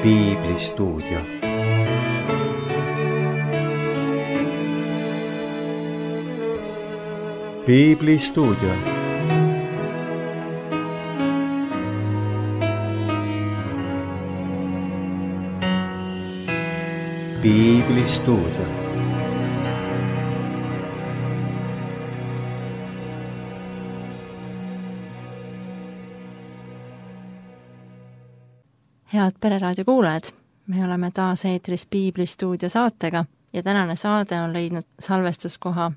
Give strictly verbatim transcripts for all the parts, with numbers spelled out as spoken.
Piiblistuudio. Piiblistuudio. Piiblistuudio. Head Pereraadio kuulajad, me oleme taas eetris Piiblistuudio saatega ja tänane saade on leidnud salvestuskoha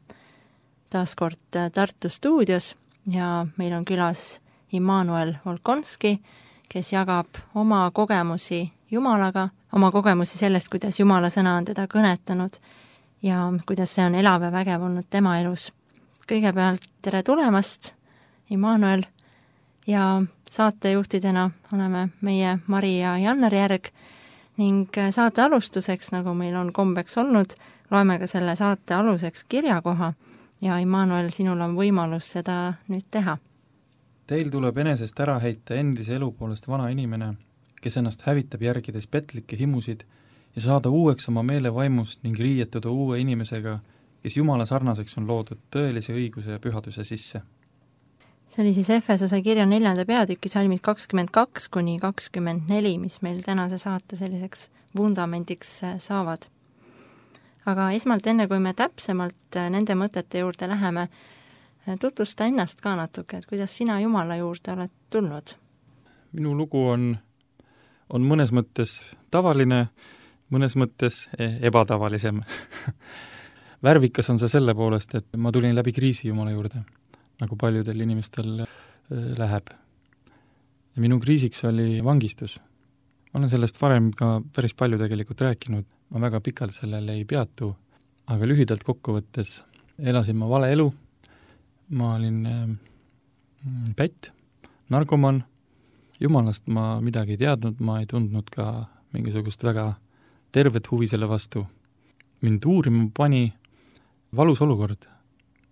taas kord Tartu stuudios ja meil on külas Immanuel Volkonski, kes jagab oma kogemusi Jumalaga, oma kogemusi sellest, kuidas Jumala sõna on teda kõnetanud ja kuidas see on elav ja vägev olnud tema elus. Kõigepealt tere tulemast, Immanuel, ja saatejuhtidena oleme meie Mari ja Janner Järg ning saate alustuseks, nagu meil on kombeks olnud, loeme ka selle saate aluseks kirjakoha ja Immanuel, sinul on võimalus seda nüüd teha. Teil tuleb enesest ära heita endise elu poolest vana inimene, kes ennast hävitab järgides petlikke himusid ja saada uueks oma meele vaimust ning riietuda uue inimesega, kes Jumala sarnaseks on loodud tõelise õiguse ja pühaduse sisse. See oli siis Efesose kirja neljanda peatüki salmid kakskümmend kaks kuni kakskümmend neli, mis meil tänase saate selliseks vundamendiks saavad. Aga esmalt enne, kui me täpsemalt nende mõtete juurde läheme, tutvusta ennast ka natuke, et kuidas sina Jumala juurde oled tulnud? Minu lugu on, on mõnes mõttes tavaline, mõnes mõttes ebatavalisem. Värvikas on see selle poolest, et ma tulin läbi kriisi Jumala juurde, nagu paljudel inimestel läheb. Ja minu kriisiks oli vangistus. Ma olen sellest varem ka päris palju tegelikult rääkinud, ma väga pikalt sellele ei peatu, aga lühidalt kokkuvõttes elasin ma vale elu, ma olin pätt, narkoman, Jumalast ma midagi ei teadnud, ma ei tundnud ka mingisugust väga tervet huvi selle vastu. Mind uurima pani valus olukord.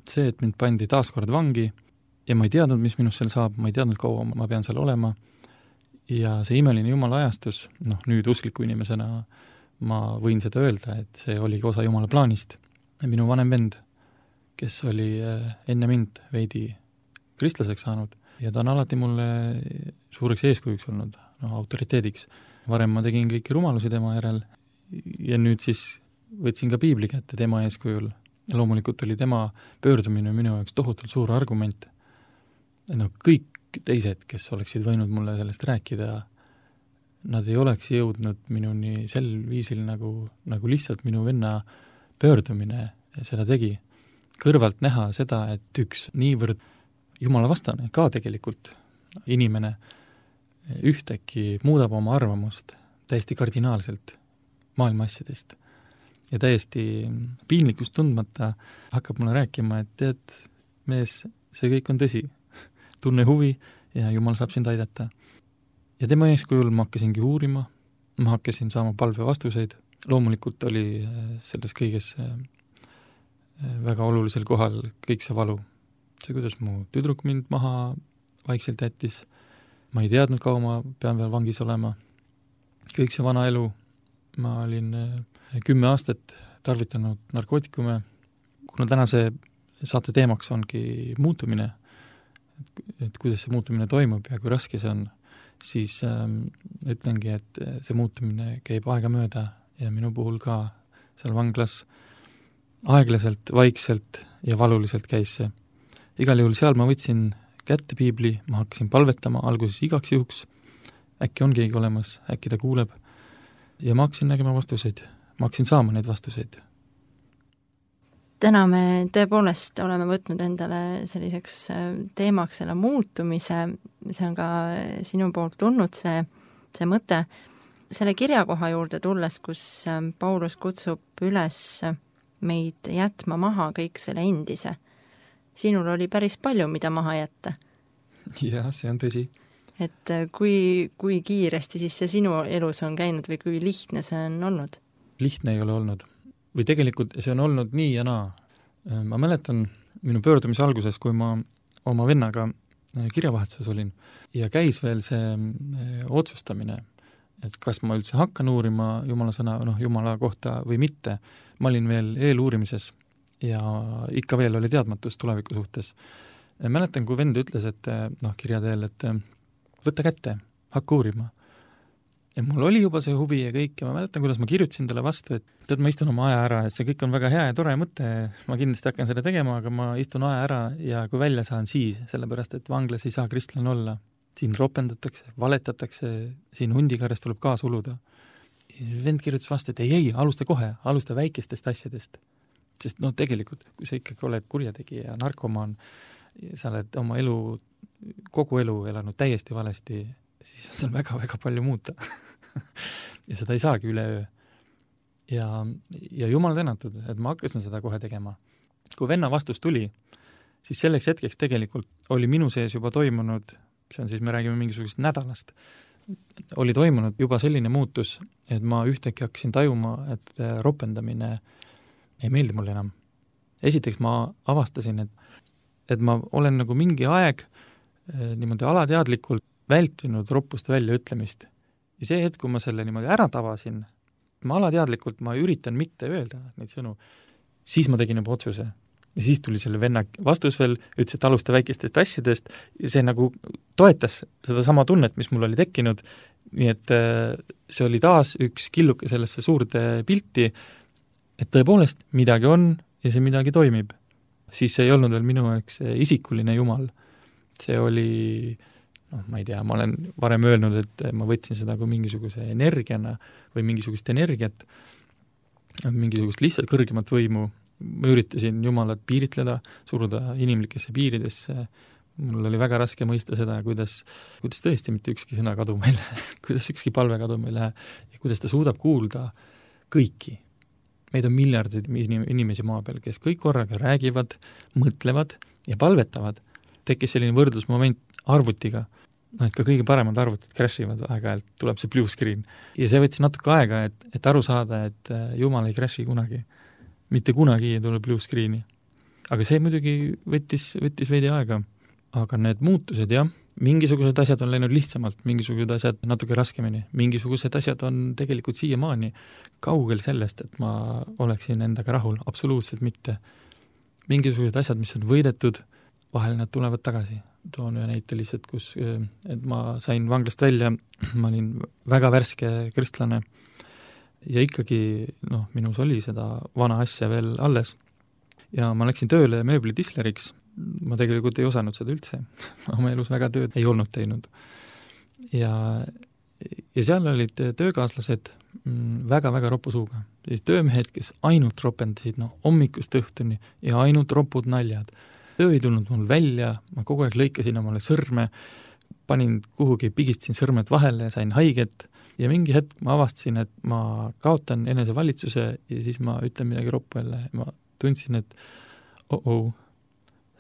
See, et mind pandi taaskord vangi ja ma ei teadnud, mis minust seal saab, ma ei teadnud, kaua ma pean seal olema ja see imeline Jumala ajastus, noh nüüd uskliku inimesena ma võin seda öelda, et see oli osa Jumala plaanist. Minu vanem vend, kes oli enne mind veidi kristlaseks saanud ja ta on alati mulle suureks eeskujuks olnud, noh autoriteediks. Varem ma tegin kõiki rumalusi tema järel ja nüüd siis võtsin ka piibli kätte tema eeskujul. Ja loomulikult oli tema pöördumine minu jaoks tohutult suur argument. No, kõik teised, kes oleksid võinud mulle sellest rääkida, nad ei oleks jõudnud minuni sel viisil, nagu, nagu lihtsalt minu venna pöördumine seda tegi. Kõrvalt näha seda, et üks niivõrd Jumala vastane, ka tegelikult inimene ühtäkki muudab oma arvamust täiesti kardinaalselt maailma asjadest. Ja täiesti piinlikkust tundmata hakkab mulle rääkima, et tead, mees, see kõik on tõsi. Tunne huvi ja Jumal saab sind aidata. Ja tema eeskujul ma hakkasingi uurima, ma hakkasin saama palve vastuseid. Loomulikult oli selles kõiges väga olulisel kohal kõik see valu. See, kuidas mu tüdruk mind maha vaikselt jättis. Ma ei teadnud, kaua ma pean veel vangis olema. Kõik see vana elu. Ma olin kümme aastat tarvitanud narkootikume, kuna tänase saate teemaks ongi muutumine, et, et kuidas see muutumine toimub ja kui raske see on, siis ähm, ütlengi, et see muutumine käib aegamööda ja minu puhul ka seal vanglas aeglaselt, vaikselt ja valuliselt käis see. Igal juhul seal ma võtsin kätte piibli, ma hakkasin palvetama alguses igaks juhuks, äkki on keegi olemas, äkki ta kuuleb, ja ma hakkasin nägema vastuseid. Ma hakkasin saama neid vastuseid. Täna me tõepoolest oleme võtnud endale selliseks teemaks selle muutumise, see on ka sinu poolt tulnud see, see mõte. Selle kirjakoha juurde tulles, kus Paulus kutsub üles meid jätma maha kõik selle endise. Sinul oli päris palju, mida maha jätta. Jah, see on tõsi. Et kui, kui kiiresti siis see sinu elus on käinud või kui lihtne see on olnud? Lihtne ei ole olnud. Või tegelikult see on olnud nii ja naa. Ma mäletan minu pöördumise alguses, kui ma oma vennaga kirjavahetuses olin ja käis veel see otsustamine, et kas ma üldse hakkan uurima Jumala sõna, noh, Jumala kohta või mitte. Ma olin veel eeluurimises ja ikka veel oli teadmatus tuleviku suhtes. Mäletan, kui vend ütles, et noh, kirja teel, et võtta kätte, hakka uurima. Ja mul oli juba see huvi ja kõik ja ma mäletan, kuidas ma kirjutasin talle vastu, et tead, ma istun oma aja ära, et see kõik on väga hea ja tore mõte, ma kindlasti hakkan seda tegema, aga ma istun aja ära ja kui välja saan siis, sellepärast et vanglas ei saa kristlane olla. Siin ropendatakse, valetatakse, siin hundikarjast tuleb kaas uluda. Vend kirjutas vastu, et ei, ei, alusta kohe, alusta väikestest asjadest. Sest no tegelikult, kui sa ikkagi oled kurjategija ja narkomaan, sa oled oma elu, kogu elu elanud täiesti valesti, siis on väga-väga palju muuta. ja seda ei saagi üleöö. Ja, ja jumal tänatud, et ma hakkasin seda kohe tegema. Kui venna vastus tuli, siis selleks hetkeks tegelikult oli minu sees juba toimunud, see on siis, me räägime mingisugusest nädalast, oli toimunud juba selline muutus, et ma ühtäkki hakkasin tajuma, et ropendamine ei meeldi mulle enam. Esiteks ma avastasin, et, et ma olen nagu mingi aeg niimoodi alateadlikult vältinud roppuste väljaütlemist. Ja see hetk, kui ma selle niimoodi ära tavasin, ma alateadlikult, ma üritan mitte öelda neid sõnu, siis ma tegin juba otsuse. Ja siis tuli selle venna vastus veel, ütles, et alusta väikestest asjadest ja see nagu toetas seda sama tunnet, mis mul oli tekkinud, nii et see oli taas üks killuke sellesse suurde pilti, et tõepoolest midagi on ja see midagi toimib. Siis see ei olnud veel minu eks isikuline jumal. See oli, noh, ma ei tea, ma olen varem öelnud, et ma võtsin seda kui mingisuguse energiana või mingisugust energiat, mingisugust lihtsalt kõrgemat võimu. Ma üritasin Jumalat piiritleda, suruda inimlikesse piiridesse. Mul oli väga raske mõista seda, kuidas, kuidas tõesti mitte ükski sõna kaduma ei lähe, kuidas ükski palve kaduma ei lähe ja kuidas ta suudab kuulda kõiki. Meid on miljardid inimesi maa peal, kes kõik korraga räägivad, mõtlevad ja palvetavad. Tekkis selline võrdlusmoment arvutiga, no, et ka kõige paremad arvutid crashivad aeg-ajalt, tuleb see blue screen. Ja see võttis natuke aega, et, et aru saada, et Jumal ei crashi kunagi. Mitte kunagi ei tule blue screeni. Aga see muidugi võttis, võttis veidi aega. Aga need muutused, jah, mingisugused asjad on läinud lihtsamalt, mingisugused asjad natuke raskemini, mingisugused asjad on tegelikult siiamaani kaugel sellest, et ma oleksin endaga rahul, absoluutselt mitte. Mingisugused asjad, mis on võidetud, vahel nad tulevad tagasi. Toon ühe näite lihtsalt, kus et ma sain vanglast välja, ma olin väga värske kristlane ja ikkagi, noh, minus oli seda vana asja veel alles. Ja ma läksin tööle mööblitisleriks. Ma tegelikult ei osanud seda üldse. Oma elus väga tööd ei olnud teinud. Ja, ja seal olid töökaaslased väga-väga ropu suuga. Töömehed, kes ainult ropendasid, noh, hommikust õhtuni ja ainult ropud naljad. Töö ei tulnud mul välja, ma kogu aeg lõikasin omale sõrme, panin kuhugi, pigistasin sõrmed vahele ja sain haiget ja mingi hetk ma avastasin, et ma kaotan enesevalitsuse ja siis ma ütlen midagi roppu jälle. Ma tundsin, et oh-oh,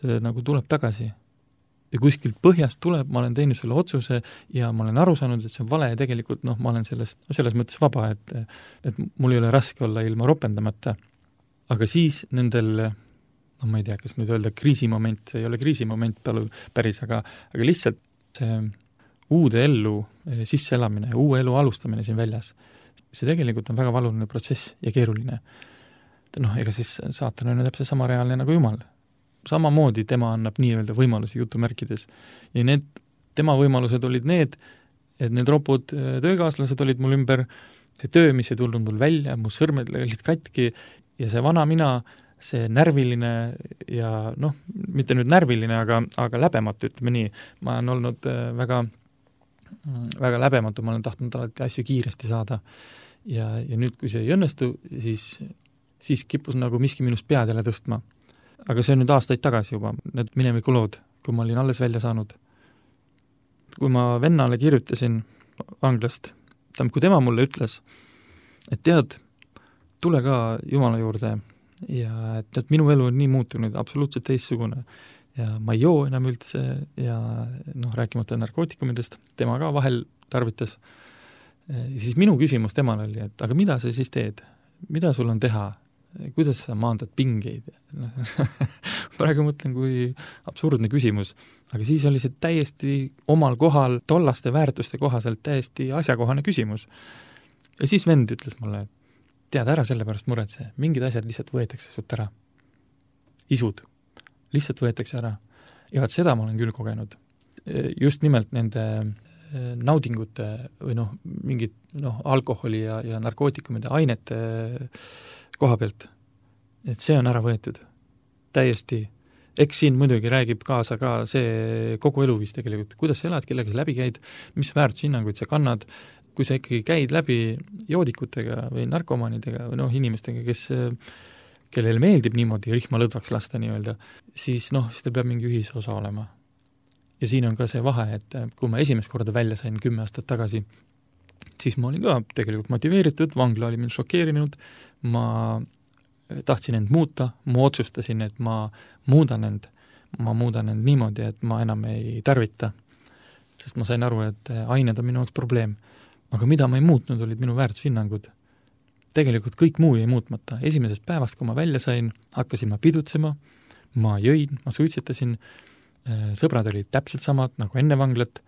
see nagu tuleb tagasi. Ja kuskilt põhjast tuleb, ma olen teinud selle otsuse ja ma olen aru saanud, et see on vale ja tegelikult noh, ma olen sellest, selles mõttes vaba, et, et mul ei ole raske olla ilma ropendamata. Aga siis nendel, no ma ei tea, kas nüüd öelda kriisimoment, see ei ole kriisimoment päris, aga, aga lihtsalt see uude ellu sisseelamine, uue elu alustamine siin väljas, see tegelikult on väga valuline protsess ja keeruline. Noh, ega siis saatan on täpselt sama reaalne nagu Jumal. Samamoodi tema annab nii-öelda võimalusi jutumärkides. Ja need, tema võimalused olid need, et need ropud töökaaslased olid mul ümber, see töö, mis ei tulnud mul välja, mu sõrmed olid katki ja see vana mina, see närviline ja noh, mitte nüüd närviline, aga, aga läbematu, ütleme nii. Ma olen olnud väga, väga läbematu, ma olen tahtnud alati asju kiiresti saada. Ja, ja nüüd, kui see ei õnnestu, siis, siis kippus nagu miski minust pead jälle tõstma. Aga see on nüüd aastaid tagasi juba, need minevikulood, kui ma olin alles välja saanud. Kui ma vennale kirjutasin vanglast, kui tema mulle ütles, et tead, tule ka Jumala juurde ja et, et minu elu on nii muutunud, absoluutselt teistsugune ja ma ei joo enam üldse ja noh, rääkimata narkootikumidest, tema ka vahel tarvitas. Ja siis minu küsimus temale oli, et aga mida sa siis teed? Mida sul on teha? kuidas sa maandad pingeid? praegu mõtlen, kui absurdne küsimus, aga siis oli see täiesti omal kohal, tollaste väärtuste kohaselt täiesti asjakohane küsimus. Ja siis vend ütles mulle, tead, ära selle pärast muretse, mingid asjad lihtsalt võetakse sult ära. Isud, lihtsalt võetakse ära. Ja vaat seda ma olen küll kogenud. Just nimelt nende naudingute või noh, mingid noh, alkoholi ja, ja narkootikumide ainete koha pealt. Et see on ära võetud. Täiesti. Eks siin muidugi räägib kaasa ka see kogu eluviis tegelikult. Kuidas sa elad, kellega sa läbi käid, mis väärtushinnanguid sa kannad, kui sa ikkagi käid läbi joodikutega või narkomaanidega või noh, inimestega, kes, kellel meeldib niimoodi rihma lõdvaks lasta nii-öelda, siis noh, siis teil peab mingi ühisosa olema. Ja siin on ka see vahe, et kui ma esimest korda välja sain kümme aastat tagasi, siis ma olin ka tegelikult motiveeritud, vangla oli mind šokeerinud, ma tahtsin end muuta, ma otsustasin, et ma muudan end, ma muudan end niimoodi, et ma enam ei tarvita, sest ma sain aru, et ained on minu jaoks probleem. Aga mida ma ei muutnud, olid minu väärtushinnangud. Tegelikult kõik muu jäi muutmata. Esimesest päevast, kui ma välja sain, hakkasin ma pidutsema, ma jõin, ma suitsetasin, sõbrad olid täpselt samad nagu enne vanglat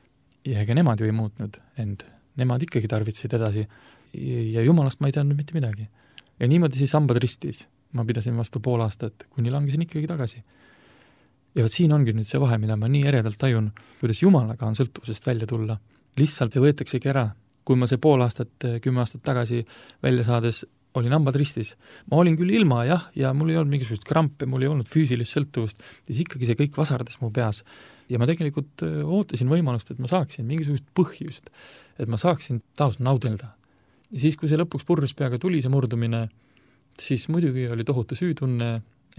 ja ega nemad ju ei muutnud end. Nemad ikkagi tarvitsid edasi ja jumalast ma ei teadnud mitte midagi. Ja niimoodi siis sambad ristis. Ma pidasin vastu pool aastat, kuni langesin ikkagi tagasi. Ja võt siin ongi nüüd see vahe, mida ma nii eredalt tajun, kuidas jumalaga on sõltuvusest välja tulla. Lihtsalt võetaksegi ära. Kui ma see pool aastat, kümme aastat tagasi välja saades olin hambad ristis. Ma olin küll ilma, jah, ja mul ei olnud mingisugust krampe, mul ei olnud füüsilist sõltuvust, siis ikkagi see kõik vasardas mu peas. Ja ma tegelikult ootasin võimalust, et ma saaksin mingisugust põhjust, et ma saaksin taas naudelda. Ja siis, kui see lõpuks purrus peaga tuli see murdumine, siis muidugi oli tohutu süütunne,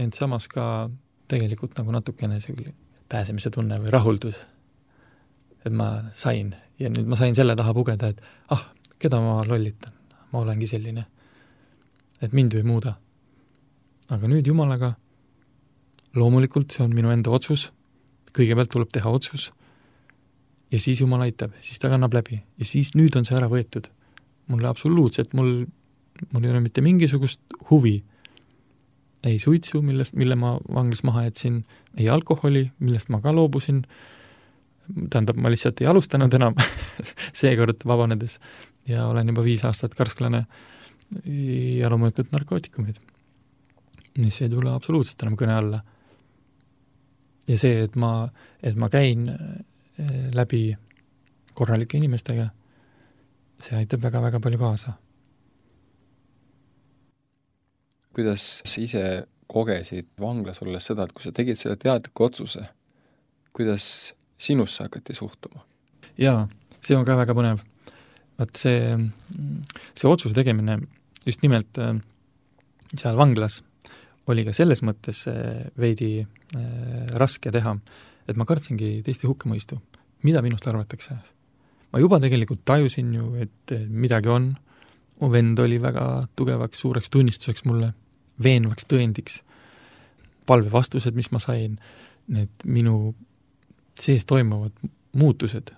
ent samas ka tegelikult nagu natukene see pääsemise tunne või rahuldus, et ma sain. Ja nüüd ma sain selle taha pugeda, et ah, keda ma lollitan, ma olengi selline. Et mind ju ei muuda. Aga nüüd jumalaga, loomulikult see on minu enda otsus, kõigepealt tuleb teha otsus, ja siis jumal aitab, siis ta kannab läbi, ja siis nüüd on see ära võetud. Mulle absoluutselt, mul, mul ei ole mitte mingisugust huvi. Ei suitsu, millest, mille ma vanglas maha jätsin, ei alkoholi, millest ma ka loobusin, tähendab, ma lihtsalt ei alustanud enam seekord vabanedes ja olen juba viis aastat karsklane ja loomulikult narkootikumid. Nii see ei tule absoluutselt enam kõne alla. Ja see, et ma, et ma käin läbi korralike inimestega, see aitab väga-väga palju kaasa. Kuidas sa ise kogesid vanglas olles seda, et kui sa tegid selle teadliku otsuse, kuidas sinusse hakati suhtuma? Jaa, see on ka väga põnev. Vaat see, see otsuse tegemine just nimelt seal vanglas oli ka selles mõttes veidi raske teha, et ma kartsingi teiste hukkamõistu. Mida minust arvatakse? Ma juba tegelikult tajusin ju, et midagi on. Mu vend oli väga tugevaks, suureks tunnistuseks mulle, veenvaks tõendiks. Palve vastused, mis ma sain, need minu sees toimuvad muutused.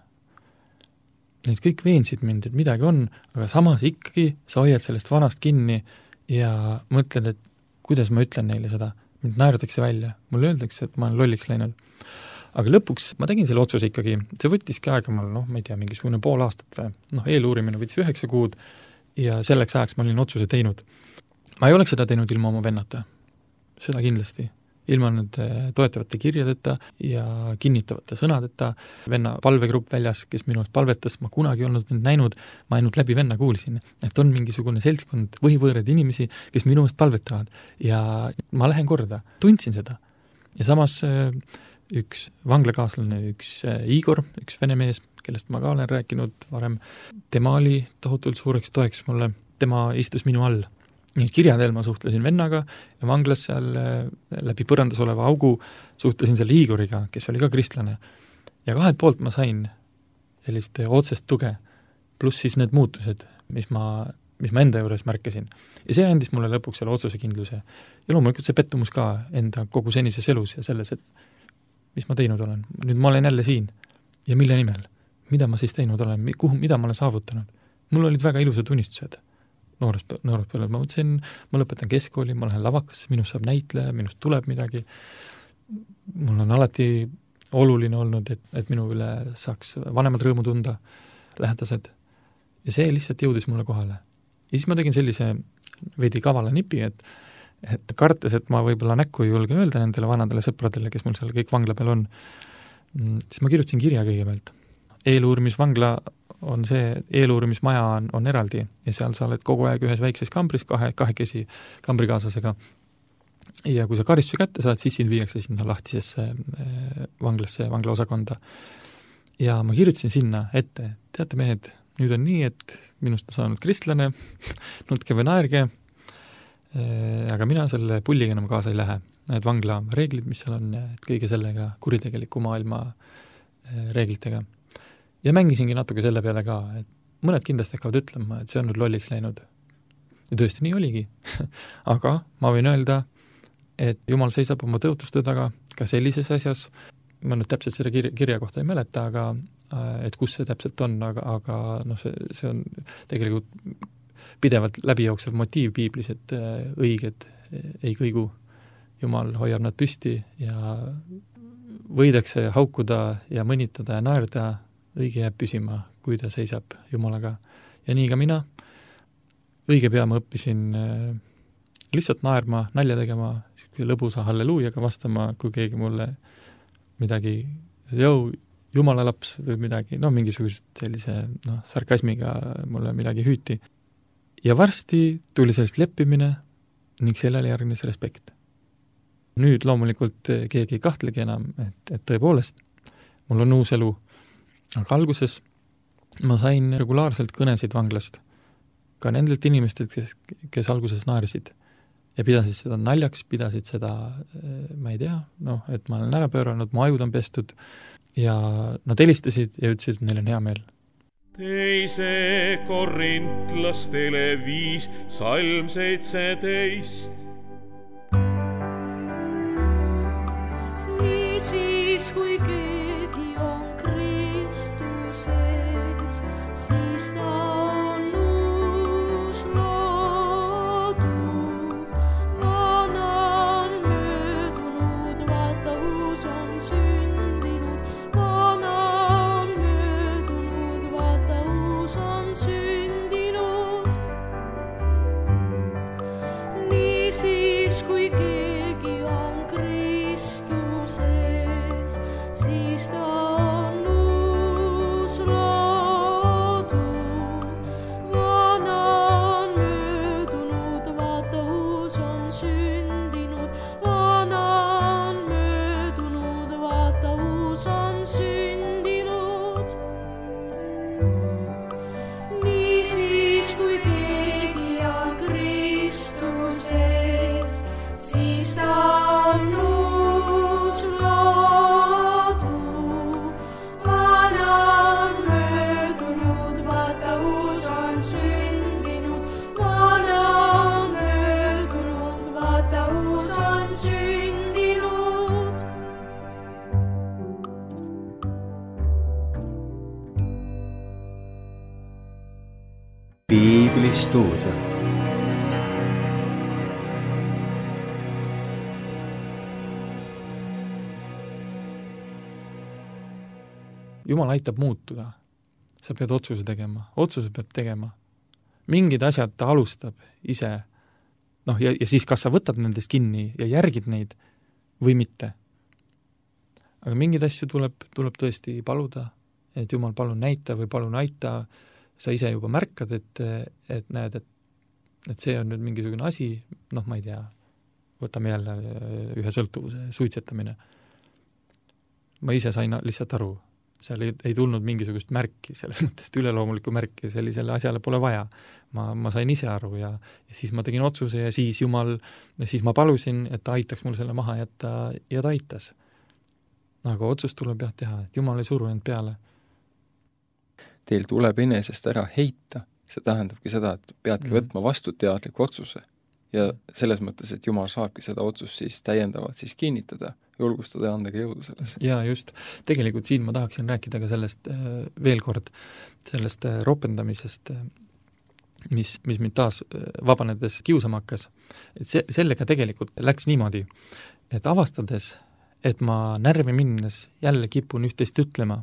Need kõik veensid mind, et midagi on, aga samas ikkagi sa hoiad sellest vanast kinni ja mõtled, et kuidas ma ütlen neile seda. Mind naerdatakse välja. Mulle öeldakse, et ma olen lolliks läinud. Aga lõpuks ma tegin selle otsuse ikkagi. See võttiski aega mul, noh, ma ei tea, mingisugune pool aastat või. Noh, eeluurimine võttis üheksa kuud ja selleks ajaks ma olin otsuse teinud. Ma ei oleks seda teinud ilma oma vennata. Seda kindlasti. Ilma nende toetavate kirjadeta ja kinnitavate sõnadeta. Venna palvegrupp väljas, kes minu eest palvetas, ma kunagi olnud mind näinud, ma ainult läbi venna kuulsin, et on mingisugune seltskond võhivõõred inimesi, kes minu eest palvetavad ja ma lähen korda. Tundsin seda. Ja samas üks vanglakaaslane, üks Igor, üks vene mees, kellest ma ka olen rääkinud varem, tema oli tohutult suureks toeks mulle, tema istus minu all. Kirjadel ma suhtlesin vennaga ja vanglas seal läbi põrandas oleva augu suhtlesin selle Igoriga, kes oli ka kristlane. Ja kahelt poolt ma sain sellist otsest tuge, pluss siis need muutused, mis ma, mis ma enda juures märkasin. Ja see andis mulle lõpuks selle otsuse kindluse. Ja loomulikult see pettumus ka enda kogu senises elus ja selles, et mis ma teinud olen. Nüüd ma olen jälle siin. Ja mille nimel? Mida ma siis teinud olen? Kuhu, mida ma olen saavutanud? Mul olid väga ilusad unistused. noores, noores peale, ma mõtlesin, ma lõpetan keskkooli, ma lähen lavakasse, minust saab näitleja, minust tuleb midagi, mul on alati oluline olnud, et, et minu üle saaks vanemad rõõmu tunda, lähedased, ja see lihtsalt jõudis mulle kohale. Ja siis ma tegin sellise veidi kavala nipi, et, et kartes, et ma võib-olla näkku ei julge öelda nendele vanadele sõpradele, kes mul seal kõik vangla peal on, siis ma kirjutasin kirja kõigepealt. Eeluurimisvangla on see, eeluurimismaja on, on eraldi ja seal sa oled kogu aeg ühes väikses kambris kahe, kahekesi kambrikaaslasega ja kui sa karistuse kätte saad, siis sind viiakse sinna lahtisesse vanglasse, vanglaosakonda. Ja ma kirjutasin sinna ette, teate mehed, nüüd on nii, et minust on saanud kristlane, nutke või naerge, aga mina selle pulliga enam kaasa ei lähe. Need vangla reeglid, mis seal on, et kõige sellega kuritegeliku maailma reeglitega. Ja mängisingi natuke selle peale ka, et mõned kindlasti hakkavad ütlema, et see on nüüd lolliks läinud. Ja tõesti nii oligi. Aga ma võin öelda, et Jumal seisab oma tõotuste taga ka sellises asjas, ma nüüd täpselt selle kirja, kirja kohta ei mäleta, aga et kus see täpselt on, aga, aga noh, see, see on tegelikult pidevalt läbijooksev motiiv piiblis, et õiged ei kõigu. Jumal hoiab nad püsti ja võidakse haukuda ja mõnitada ja naerda, õige jääb püsima, kui ta seisab Jumalaga. Ja nii ka mina, õige pea ma õppisin lihtsalt naerma, nalja tegema, lõbusa halleluujaga vastama, kui keegi mulle midagi, jõu, Jumala laps või midagi, no mingisugust sellise no, sarkasmiga mulle midagi hüüti. Ja varsti tuli sellest leppimine ning sellele järgnes respekt. Nüüd loomulikult keegi ei kahtlegi enam, et, et tõepoolest mul on uus elu. Aga alguses ma sain regulaarselt kõnesid vanglast, ka nendelt inimestelt, kes, kes alguses naersid ja pidasid seda naljaks, pidasid seda, ma ei tea, noh, et ma olen ära pööranud, mu ajud on pestud ja nad helistasid ja ütlesid, et neil on hea meel. Teise korintlastele viis, salm seitseteist. Nii siis, kui keegi on Kristuses, siis ta on uus loodu. Vana on möödunud, vaata uus on sündinud. Vana on möödunud, vaata uus on sündinud. Nii siis, kui keegi on Kristuses, siis ta on uus loodu. Vana on möödunud, vaata uus on sündinud. Vana on möödunud, vaata uus on sündinud. Nii siis, kui keegi on Kristuses, siis ta on uus loodu. Vana on möödunud, vaata uus on sündinud. Vana on möödunud, vaata uus on sündinud. Piiblistuudio. Jumal aitab muutuda. Sa pead otsuse tegema. Otsuse peab tegema. Mingid asjad ta alustab ise. Noh, ja, ja siis kas sa võtad nendest kinni ja järgid neid või mitte. Aga mingeid asju tuleb, tuleb tõesti paluda, et Jumal palun näita või palun aita. Sa ise juba märkad, et, et näed, et, et see on nüüd mingisugune asi, noh, ma ei tea, võtame jälle ühe sõltuvuse, suitsetamine. Ma ise sain lihtsalt aru, seal ei, ei tulnud mingisugust märki, selles mõttes üleloomulikku märki, sellisele asjale pole vaja. Ma, ma sain ise aru ja, ja siis ma tegin otsuse ja siis Jumal, siis ma palusin, et ta aitaks mul selle maha jätta ja ta aitas. Aga otsus tuleb jah teha, et Jumal ei suru end peale. Teil tuleb enesest ära heita, see tähendabki seda, et peadki mm. võtma vastu teadliku otsuse. Ja selles mõttes, et Jumal saabki seda otsust siis täiendavalt siis kinnitada, julgustada ja anda ka jõudu selles. Ja just, tegelikult siin ma tahaksin rääkida ka sellest veel kord, sellest ropendamisest, mis, mis mind taas vabanedes kiusama hakkas, et see, sellega tegelikult läks niimoodi, et avastades, et ma närvi minnes jälle kipun üht-teist ütlema,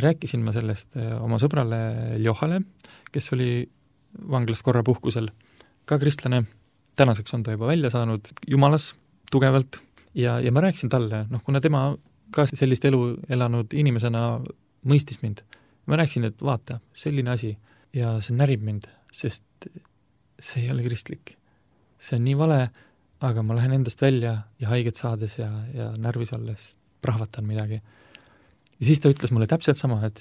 rääkisin ma sellest oma sõbrale Johale, kes oli vanglas korra puhkusel, ka kristlane, tänaseks on ta juba välja saanud jumalas tugevalt ja, ja ma rääkisin talle, noh, kuna tema ka sellist elu elanud inimesena mõistis mind, ma rääkisin, et vaata, selline asi ja see närib mind, sest see ei ole kristlik. See on nii vale, aga ma lähen endast välja ja haiget saades ja, ja närvis olles prahvatan midagi. Ja siis ta ütles mulle täpselt sama, et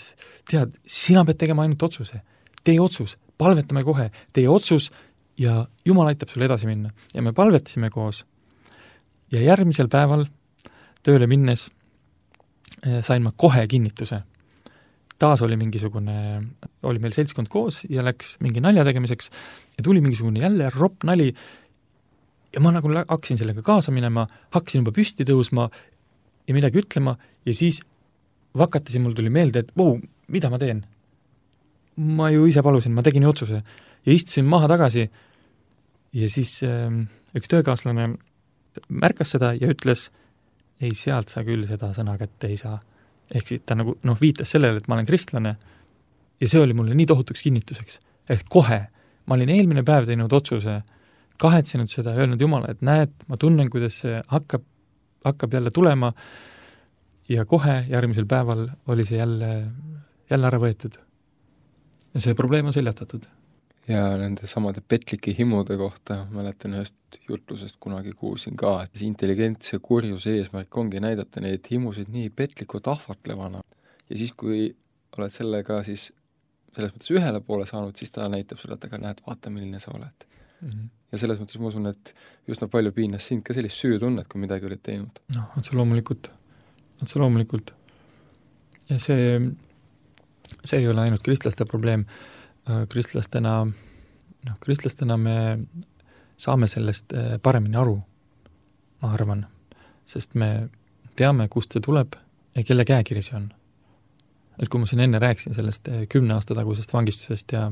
tead, sina pead tegema ainult otsuse. Tee otsus, palvetame kohe, tee otsus ja Jumal aitab sulle edasi minna. Ja me palvetasime koos. Ja järgmisel päeval tööle minnes sain ma kohe kinnituse. Taas oli mingisugune, oli meil seltskond koos ja läks mingi nalja tegemiseks ja tuli mingisugune jälle ropp nali ja ma nagu hakkasin sellega kaasa minema, hakkasin juba püsti tõusma ja midagi ütlema ja siis vakatasin, mul tuli meelde, et vau, mida ma teen? Ma ju ise palusin, ma tegin ju otsuse ja istusin maha tagasi ja siis äh, üks töökaaslane märkas seda ja ütles, ei, sealt sa küll seda sõna kätte ei saa. Ehk siis ta nagu, noh, viitas sellele, et ma olen kristlane ja see oli mulle nii tohutuks kinnituseks, et kohe ma olin eelmine päev teinud otsuse, kahetsenud seda ja öelnud Jumala, et näed, ma tunnen, kuidas see hakkab, hakkab jälle tulema ja kohe järgmisel päeval oli see jälle, jälle ära võetud. Ja see probleem on seljatatud. Ja nende samade petlike himude kohta mäletan ühest jutlusest kunagi kuulsin ka, et intelligentse kurjuse eesmärk ongi näidata neid himusid nii petlikult ahvatlevana. Ja siis, kui oled sellega siis selles mõttes ühele poole saanud, siis ta näitab sulle, et aga näed, vaata, milline sa oled. Mm-hmm. Ja selles mõttes ma usun, et just palju piinas sind ka sellist süütunnet, kui midagi olid teinud. Noh, otse loomulikult. Otse loomulikult. Ja see, see ei ole ainult kristlaste probleem. Kristlastena, noh, kristlastena me saame sellest paremini aru, ma arvan, sest me teame, kust see tuleb ja kelle käekiri see on. Et kui ma siin enne rääkisin sellest kümne aasta tagusest vangistusest ja,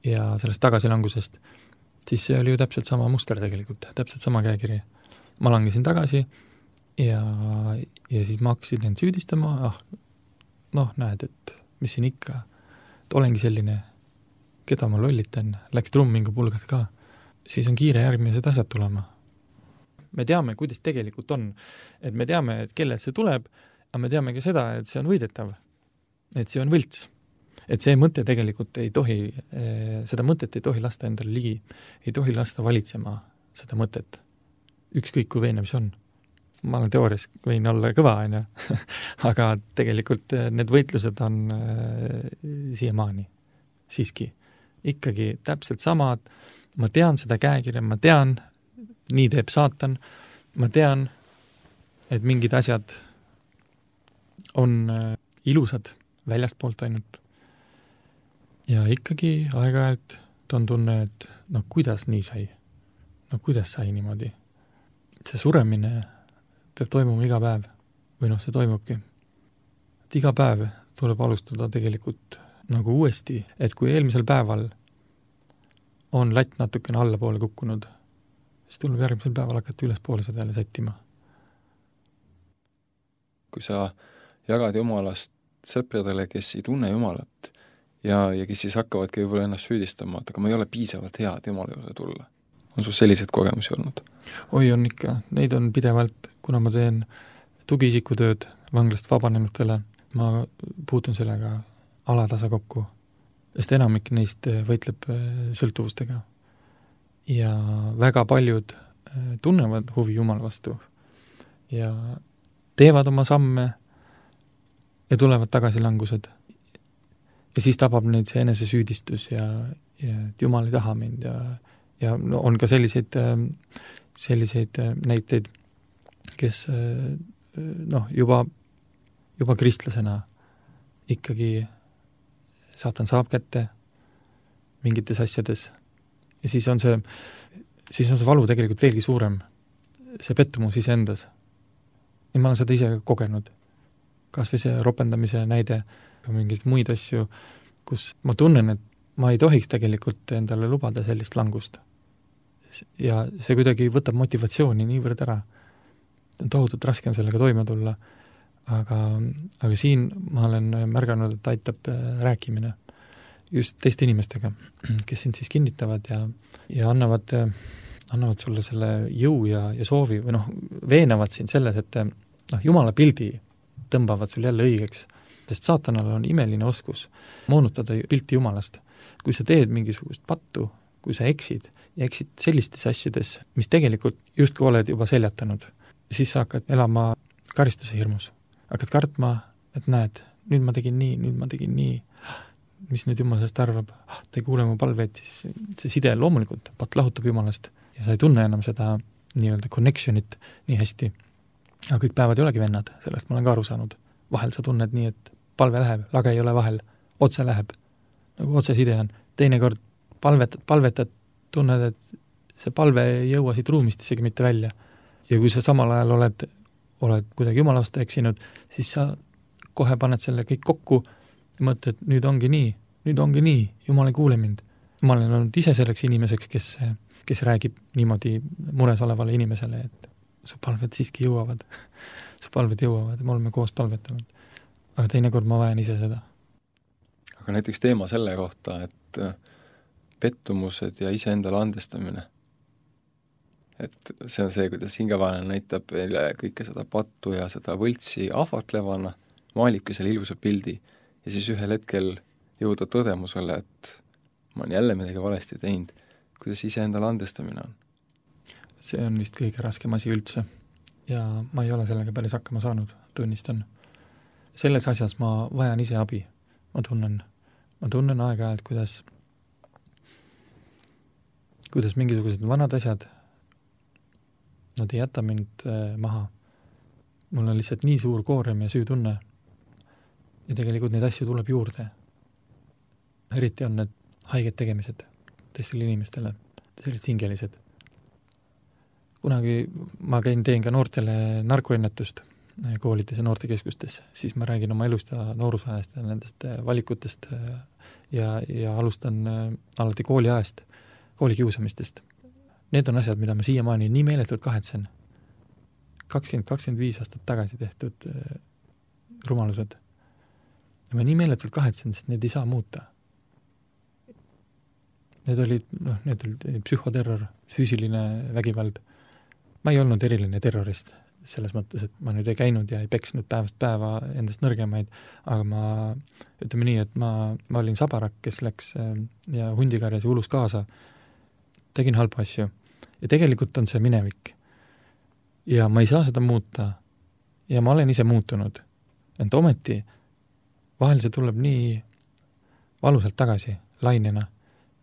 ja sellest tagasilangusest, siis see oli ju täpselt sama muster tegelikult, täpselt sama käekiri. Ma langesin tagasi ja, ja siis ma hakkasin end süüdistama, ah, noh, näed, et mis siin ikka, et olengi selline keda ma lollitan, läks trummingu pulgad ka, siis on kiire järgmised asjad tulema. Me teame, kuidas tegelikult on, et me teame, et kellelt see tuleb, aga me teame ka seda, et see on võidetav, et see on võlts, et see mõte tegelikult ei tohi, seda mõtet ei tohi lasta endale ligi, ei tohi lasta valitsema seda mõtet, ükskõik kui veenev see on. Ma olen teoorias võin olla kõva, on ju, aga tegelikult need võitlused on siiamaani siiski ikkagi täpselt samad, ma tean seda käekirja, ma tean, nii teeb saatan, ma tean, et mingid asjad on ilusad väljast poolt ainult. Ja ikkagi aeg-ajalt on tunne, et no kuidas nii sai? No kuidas sai niimoodi? See suremine peab toimuma iga päev, või noh, see toimubki. Et iga päev tuleb alustada tegelikult nagu uuesti, et kui eelmisel päeval on latt natukene allapoole kukkunud, siis tuleb järgmisel päeval hakata ülespoole seda jälle sättima. Kui sa jagad Jumalast sõpradele, kes ei tunne Jumalat ja, ja kes siis hakkavadki võib-olla ennast süüdistama, et aga ma ei ole piisavalt hea, et Jumala juurde tulla. On sul sellised kogemusi olnud? Oi, on ikka. Neid on pidevalt, kuna ma teen tugiisikutööd vanglast vabanenutele, ma puutun sellega alatasa kokku, sest enamik neist võitleb sõltuvustega. Ja väga paljud tunnevad huvi Jumala vastu ja teevad oma samme ja tulevad tagasilangused. Ja siis tabab neid see enesesüüdistus ja, ja Jumal ei taha mind ja, ja no, on ka selliseid, selliseid näiteid, kes noh, juba, juba kristlasena ikkagi saatan saab kätte mingites asjades ja siis on see, siis on see valu tegelikult veelgi suurem, see pettumus ise endas. Ja ma olen seda ise kogenud. Kas või see ropendamise näide, mingeid muid asju, kus ma tunnen, et ma ei tohiks tegelikult endale lubada sellist langust. Ja see kuidagi võtab motivatsiooni niivõrd ära. Tohutult raske on sellega toime tulla, aga, aga siin ma olen märganud, et aitab rääkimine just teiste inimestega, kes sind siis kinnitavad ja, ja annavad, annavad sulle selle jõu ja, ja soovi või noh, veenavad sind selles, et noh, Jumala pildi tõmbavad sul jälle õigeks, sest saatanal on imeline oskus moonutada pilti Jumalast. Kui sa teed mingisugust pattu, kui sa eksid ja eksid sellistes asjades, mis tegelikult justkui oled juba seljatanud, siis sa hakkad elama karistuse hirmus. Hakkad kartma, et näed, nüüd ma tegin nii, nüüd ma tegin nii, mis nüüd Jumal sellest arvab, ta ei kuule mu palveid, siis see side loomulikult pat lahutab Jumalast ja sa ei tunne enam seda nii-öelda connectionit nii hästi. Aga kõik päevad ei olegi vennad, sellest ma olen ka aru saanud. Vahel sa tunned nii, et palve läheb, lage ei ole vahel, otse läheb, nagu otse side on. Teinekord palvetad, palvetad, tunned, et see palve ei jõua siit ruumist isegi mitte välja. Ja kui sa samal ajal oled, oled kuidagi Jumala vastu eksinud, siis sa kohe paned selle kõik kokku ja mõtled, et nüüd ongi nii, nüüd ongi nii, Jumal ei kuule mind. Ma olen olnud ise selleks inimeseks, kes, kes räägib niimoodi mures olevale inimesele, et su palved siiski jõuavad. su palved jõuavad ja me oleme koos palvetanud. Aga teinekord ma vajan ise seda. Aga näiteks teema selle kohta, et pettumused ja iseendale andestamine. Et see on see, kuidas hingavaene näitab kõike seda pattu ja seda võltsi ahvatlevana, maalibki selle ilusa pildi ja siis ühel hetkel jõuda tõdemusele, et ma olen jälle midagi valesti teinud. Kuidas iseendale andestamine on? See on vist kõige raskem asi üldse ja ma ei ole sellega päris hakkama saanud, tunnistan. Selles asjas ma vajan ise abi. Ma tunnen, ma tunnen aeg-ajalt, kuidas, kuidas mingisugused vanad asjad, nad ei jäta mind maha. Mul on lihtsalt nii suur koorem ja süütunne ja tegelikult neid asju tuleb juurde. Eriti on need haiged tegemised teistele inimestele, sellised hingelised. Kunagi ma käin teen ka noortele narkoennetust koolides ja noortekeskustes, siis ma räägin oma elust ja noorusajast ja nendest valikutest ja, ja alustan alati kooliajast, koolikiusamistest. Need on asjad, mida ma siiamaani nii meeletult kahetsen. kakskümmend kakskümmend viis aastat tagasi tehtud rumalused. Ja ma nii meeletult kahetsen, sest need ei saa muuta. Need olid, noh, need olid psühhoterror, füüsiline vägivald. Ma ei olnud eriline terrorist selles mõttes, et ma nüüd ei käinud ja ei peksnud päevast päeva endast nõrgemaid, aga ma, ütleme nii, et ma, ma olin sabarak, kes läks ja hundikarjas ja ulus kaasa, tegin halba asju. Ja tegelikult on see minevik. Ja ma ei saa seda muuta. Ja ma olen ise muutunud. Ent ometi vahel see tuleb nii valusalt tagasi, lainena.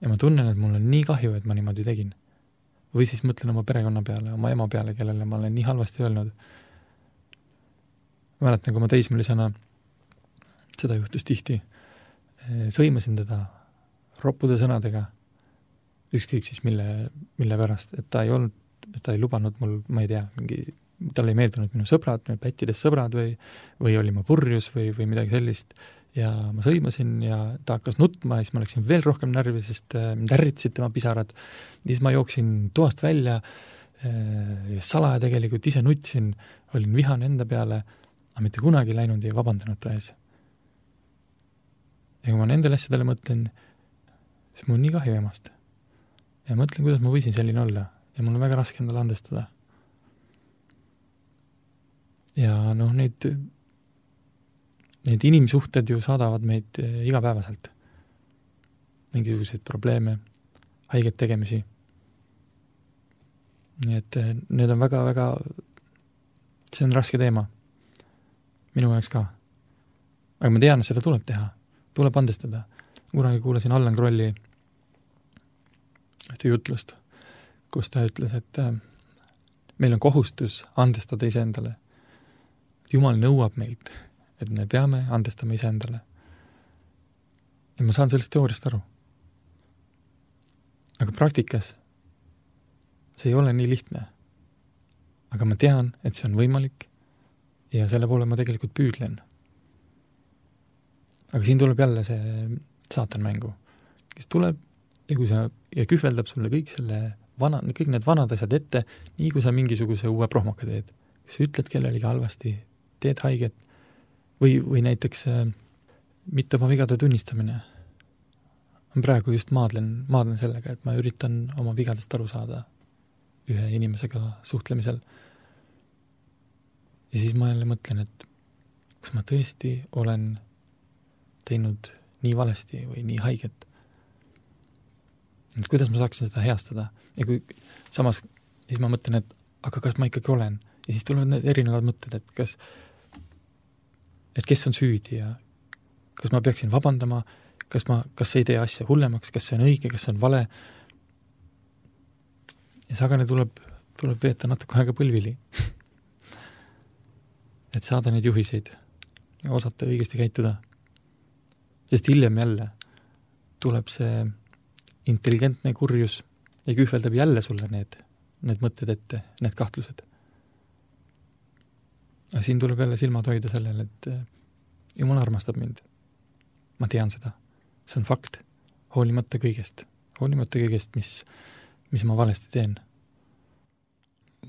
Ja ma tunnen, et mul on nii kahju, et ma niimoodi tegin. Või siis mõtlen oma perekonna peale, oma ema peale, kellele ma olen nii halvasti öelnud. Mäletan, kui ma teismelisena, seda juhtus tihti, sõimasin teda roppude sõnadega, ükskõik siis mille, mille pärast, et ta ei olnud, et ta ei lubanud mul, ma ei tea, mingi, tal ei meeldunud minu sõbrad, minu pättides sõbrad või, või oli ma purjus või, või midagi sellist ja ma sõimasin ja ta hakkas nutma ja siis ma läksin veel rohkem närvi, sest mind ärritsid tema pisarad. Siis ma jooksin toast välja ja salaja tegelikult ise nutsin, olin vihane enda peale, aga mitte kunagi läinud ja vabandanud ta ees. Ja kui ma nendele asjadele mõtlen, siis mul on nii kahju emast. Ja mõtlen, kuidas ma võisin selline olla ja mul on väga raske endale andestada. Ja noh, neid, neid inimsuhted ju saadavad meid igapäevaselt. Mingisuguseid probleeme, haiget tegemisi. Nii et need on väga, väga, see on raske teema. Minu jaoks ka. Aga ma tean, et seda tuleb teha. Tuleb andestada. Kunagi kuulasin Allan Krolli ühte jutlust, kus ta ütles, et meil on kohustus andestada iseendale. Jumal nõuab meilt, et me peame andestama iseendale. Ja ma saan sellest teooriast aru. Aga praktikas see ei ole nii lihtne. Aga ma tean, et see on võimalik ja selle poole ma tegelikult püüdlen. Aga siin tuleb jälle see saatan mängu, kes tuleb ja kui sa, ja kühveldab sulle kõik selle vana, kõik need vanad asjad ette, nii kui sa mingisuguse uue prohmaka teed. Kas sa ütled kellelegi halvasti, teed haiget või, või näiteks äh, mitte oma vigade tunnistamine. Ma praegu just maadlen, maadlen sellega, et ma üritan oma vigadest aru saada ühe inimesega suhtlemisel. Ja siis ma jälle mõtlen, et kas ma tõesti olen teinud nii valesti või nii haiget. Et kuidas ma saaksin seda heastada? Ja kui samas, siis ma mõtlen, et aga kas ma ikkagi olen? Ja siis tulevad need erinevad mõtted, et kas, et kes on süüdi ja kas ma peaksin vabandama, kas ma, kas ei tee asja hullemaks, kas see on õige, kas see on vale. Ja sagane tuleb, tuleb veeta natuke aega põlvili. Et saada neid juhiseid ja osata õigesti käituda. Sest hiljem jälle tuleb see intelligentne kurjus ja kühveldab jälle sulle need, need mõtted ette, need kahtlused. Aga siin tuleb jälle silmad hoida sellele, et Jumal armastab mind. Ma tean seda. See on fakt. Hoolimata kõigest. Hoolimata kõigest, mis, mis ma valesti teen.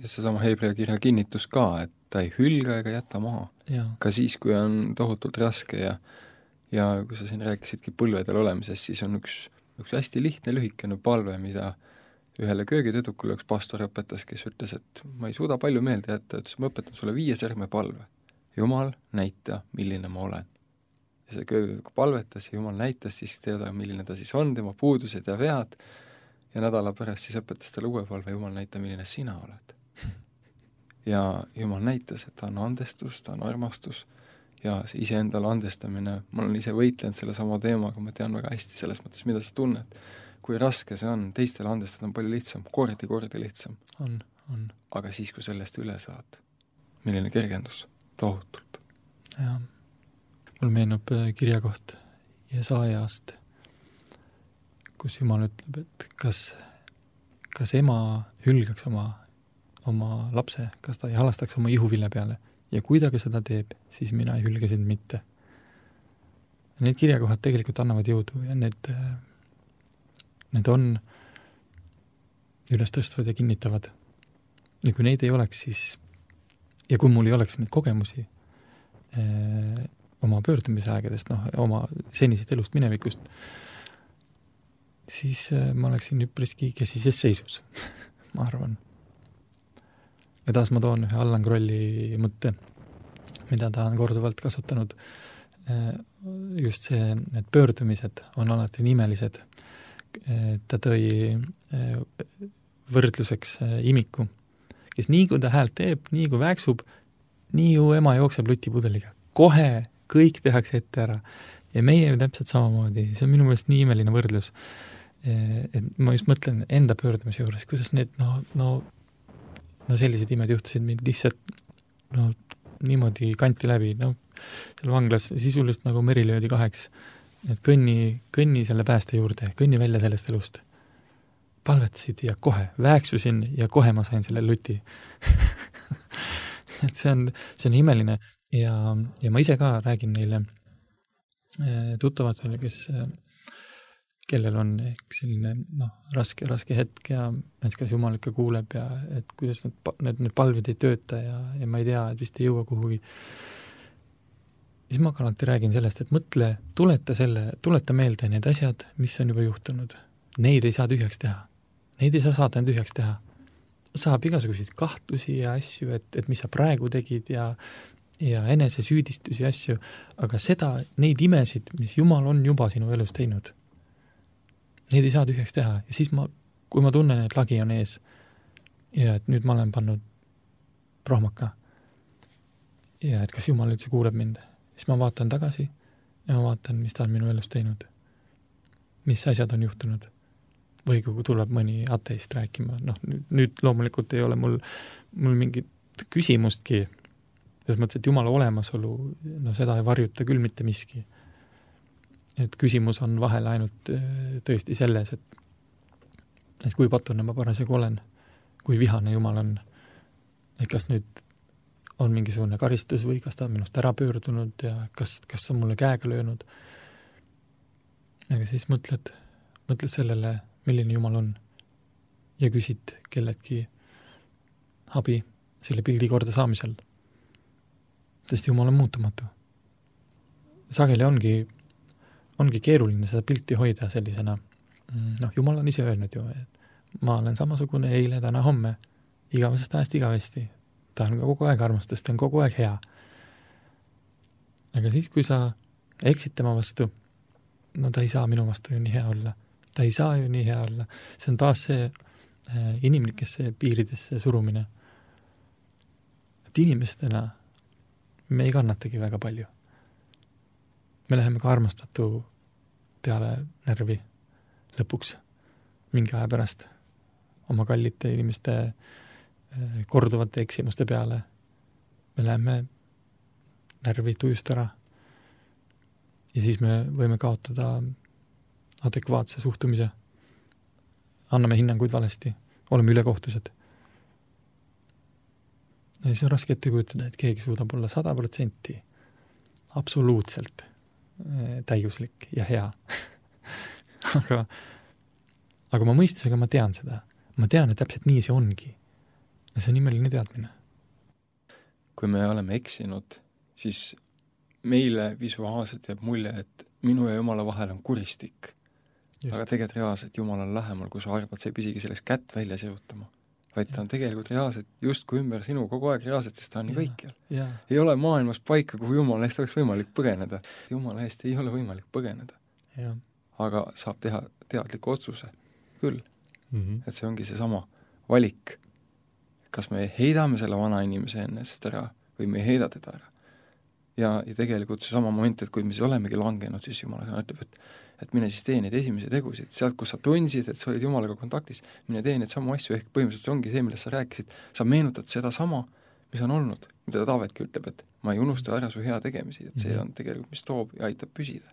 Ja see sama Hebrea kirja kinnitus ka, et ta ei hülga ega jäta maha. Ja. Ka siis, kui on tohutult raske ja, ja kui sa siin rääkisidki põlvedel olemisest, siis on üks, üks hästi lihtne lühikene palve, mida ühele köögitüdrukule üks pastor õpetas, kes ütles, et ma ei suuda palju meelde jätta, et ma õpetan sulle viie sõrme palve. Jumal, näita, milline ma olen. Ja see köögitüdruk palvetas ja Jumal näitas siis teada, milline ta siis on, tema puudused ja vead, ja nädala pärast siis õpetas talle uue palve, Jumal, näita, milline sina oled. Ja Jumal näitas, et ta on andestus, ta on armastus ja see iseendale andestamine, ma olen ise võitlenud selle sama teemaga, ma tean väga hästi selles mõttes, mida sa tunned. Kui raske see on, teistele andestada on palju lihtsam, kordi, kordi lihtsam. On, on. Aga siis, kui sellest üle saad, milline kergendus, tohutult. Ja. Mul meenub kirjakoht Jesaajast, kus Jumal ütleb, et kas, kas ema hülgaks oma oma lapse, kas ta ei halastaks oma ihuvilja peale ja kui ta ka seda teeb, siis mina ei hülge sind mitte. Need kirjakohad tegelikult annavad jõudu ja need, need on üles tõstvad ja kinnitavad. Ja kui neid ei oleks, siis ja kui mul ei oleks neid kogemusi eh, oma pöördumise aegadest, noh, oma senisest elust minevikust, siis eh, ma oleksin üpriski kesises seisus, ma arvan. Ja taas ma toon ühe Allan Krolli mõtte, mida ta on korduvalt kasutanud. Just see, need pöördumised on alati nimelised. Ta tõi võrdluseks imiku, kes nii kui ta häält teeb, nii kui väiksub, nii ju ema jookseb lutipudeliga. Kohe kõik tehakse ette ära. Ja meie täpselt samamoodi. See on minu meelest nii imeline võrdlus. Et ma just mõtlen enda pöördumise juures, kuidas need, no, no no sellised imed juhtusid mind lihtsalt no, niimoodi kanti läbi, no seal vanglas sisulist nagu meri löödi kaheks, et kõnni, kõnni selle pääste juurde, kõnni välja sellest elust. Palvetasid ja kohe, väeksusin ja kohe ma sain selle luti. et see on, see on imeline ja, ja ma ise ka räägin neile tuttavatele, kes kellel on ehk selline no, raske, raske hetk ja et kas Jumal ikka kuuleb ja et kuidas need, need, need palvid ei tööta ja, ja ma ei tea, et vist ei jõua kuhugi. Siis ma ka alati räägin sellest, et mõtle, tuleta, selle, tuleta meelde need asjad, mis on juba juhtunud. Neid ei saa tühjaks teha. Neid ei saa saada tühjaks teha. Saab igasuguseid kahtlusi ja asju, et, et mis sa praegu tegid ja, ja enese süüdistusi asju, aga seda, neid imesid, mis Jumal on juba sinu elus teinud, neid ei saa tühjaks teha. Ja siis ma, kui ma tunnen, et lagi on ees ja et nüüd ma olen pannud prohmaka ja et kas Jumal üldse kuuleb mind, siis ma vaatan tagasi ja ma vaatan, mis ta on minu elus teinud. Mis asjad on juhtunud. Või kui tuleb mõni ateist rääkima. Noh, nüüd, nüüd loomulikult ei ole mul, mul mingit küsimustki. Selles mõttes, et Jumala olemasolu, no seda ei varjuta küll mitte miski. Et küsimus on vahel ainult tõesti selles, et, et kui patune ma parasjagu olen, kui vihane Jumal on, et kas nüüd on mingisugune karistus või kas ta on minust ära pöördunud ja kas, kas on mulle käega löönud. Aga siis mõtled, mõtled sellele, milline Jumal on ja küsid kelledki abi selle pildi korda saamisel. Sest Jumal on muutumatu. Sageli ongi, ongi keeruline seda pilti hoida sellisena. Noh, Jumal on ise öelnud ju, et ma olen samasugune eile, täna, homme, igavesest ajast igavesti. Ta on kogu aeg armastus, ta on kogu aeg hea. Aga siis, kui sa eksid tema vastu, no ta ei saa minu vastu ju nii hea olla. Ta ei saa ju nii hea olla. See on taas see äh, inimlikesse piiridesse surumine. Et inimestena me ei kannatagi väga palju. Me läheme ka armastatu peale närvi lõpuks mingi aja pärast oma kallite inimeste äh, korduvate eksimuste peale. Me läheme närvi tujust ära. Ja siis me võime kaotada adekvaatse suhtumise. Anname hinnanguid valesti. Oleme ülekohtused. Ja see on raske ette kujutada, et keegi suudab olla sada protsenti absoluutselt täiuslik ja hea. aga, aga ma mõistusega ma tean seda. Ma tean, et täpselt nii see ongi. Ja see on imeline teadmine. Kui me oleme eksinud, siis meile visuaalselt jääb mulje, et minu ja Jumala vahel on kuristik. Just. Aga tegelikult reaalselt Jumal on lähemal, kui sa arvad, sa ei pisigi sellest kätt välja sirutama. Vaid ta on tegelikult reaalselt justkui ümber sinu kogu aeg reaalselt, sest ta on nii kõikjal. Ei ole maailmas paika, kuhu Jumala eest oleks võimalik põgeneda. Jumala eest ei ole võimalik põgeneda. Ja. Aga saab teha teadliku otsuse. Küll. Mm-hmm. Et see ongi see sama valik. Kas me heidame selle vana inimese ennast ära või me ei heida teda ära. Ja, ja tegelikult see sama moment, et kui me siis olemegi langenud, siis Jumala sõna ütleb, et, et mine siis tee neid esimesi tegusid. Sealt, kus sa tundsid, et sa olid Jumalaga kontaktis, mine tee neid samu asju, ehk põhimõtteliselt see ongi see, millest sa rääkisid. Sa meenutad seda sama, mis on olnud, mida Taavetki ütleb, et ma ei unusta ära su hea tegemisi, et see on tegelikult, mis toob ja aitab püsida.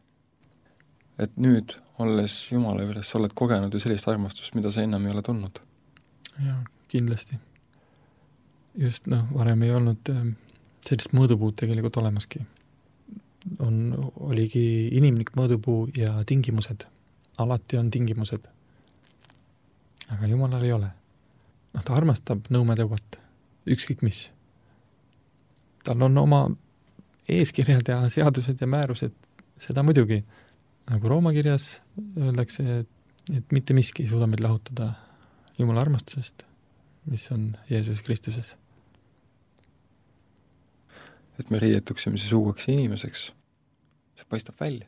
Et nüüd, olles Jumala juures, sa oled kogenud ju sellist armastust, mida sa ennem ei ole tundnud. Jaa, kindlasti. Just, noh, varem ei olnud äh, sellist mõõdupuud tegelikult olemaski. On, oligi inimlik mõõdupuu ja tingimused. Alati on tingimused. Aga Jumalal ei ole. Noh, ta armastab nõumeteuvat. Ükskõik mis. Tal on oma eeskirjad ja seadused ja määrused. Seda muidugi. Nagu Rooma kirjas öeldakse, et, et mitte miski ei suuda meid lahutada Jumala armastusest, mis on Jeesus Kristuses. Et me riietuksime siis uueks inimeseks, see paistab välja.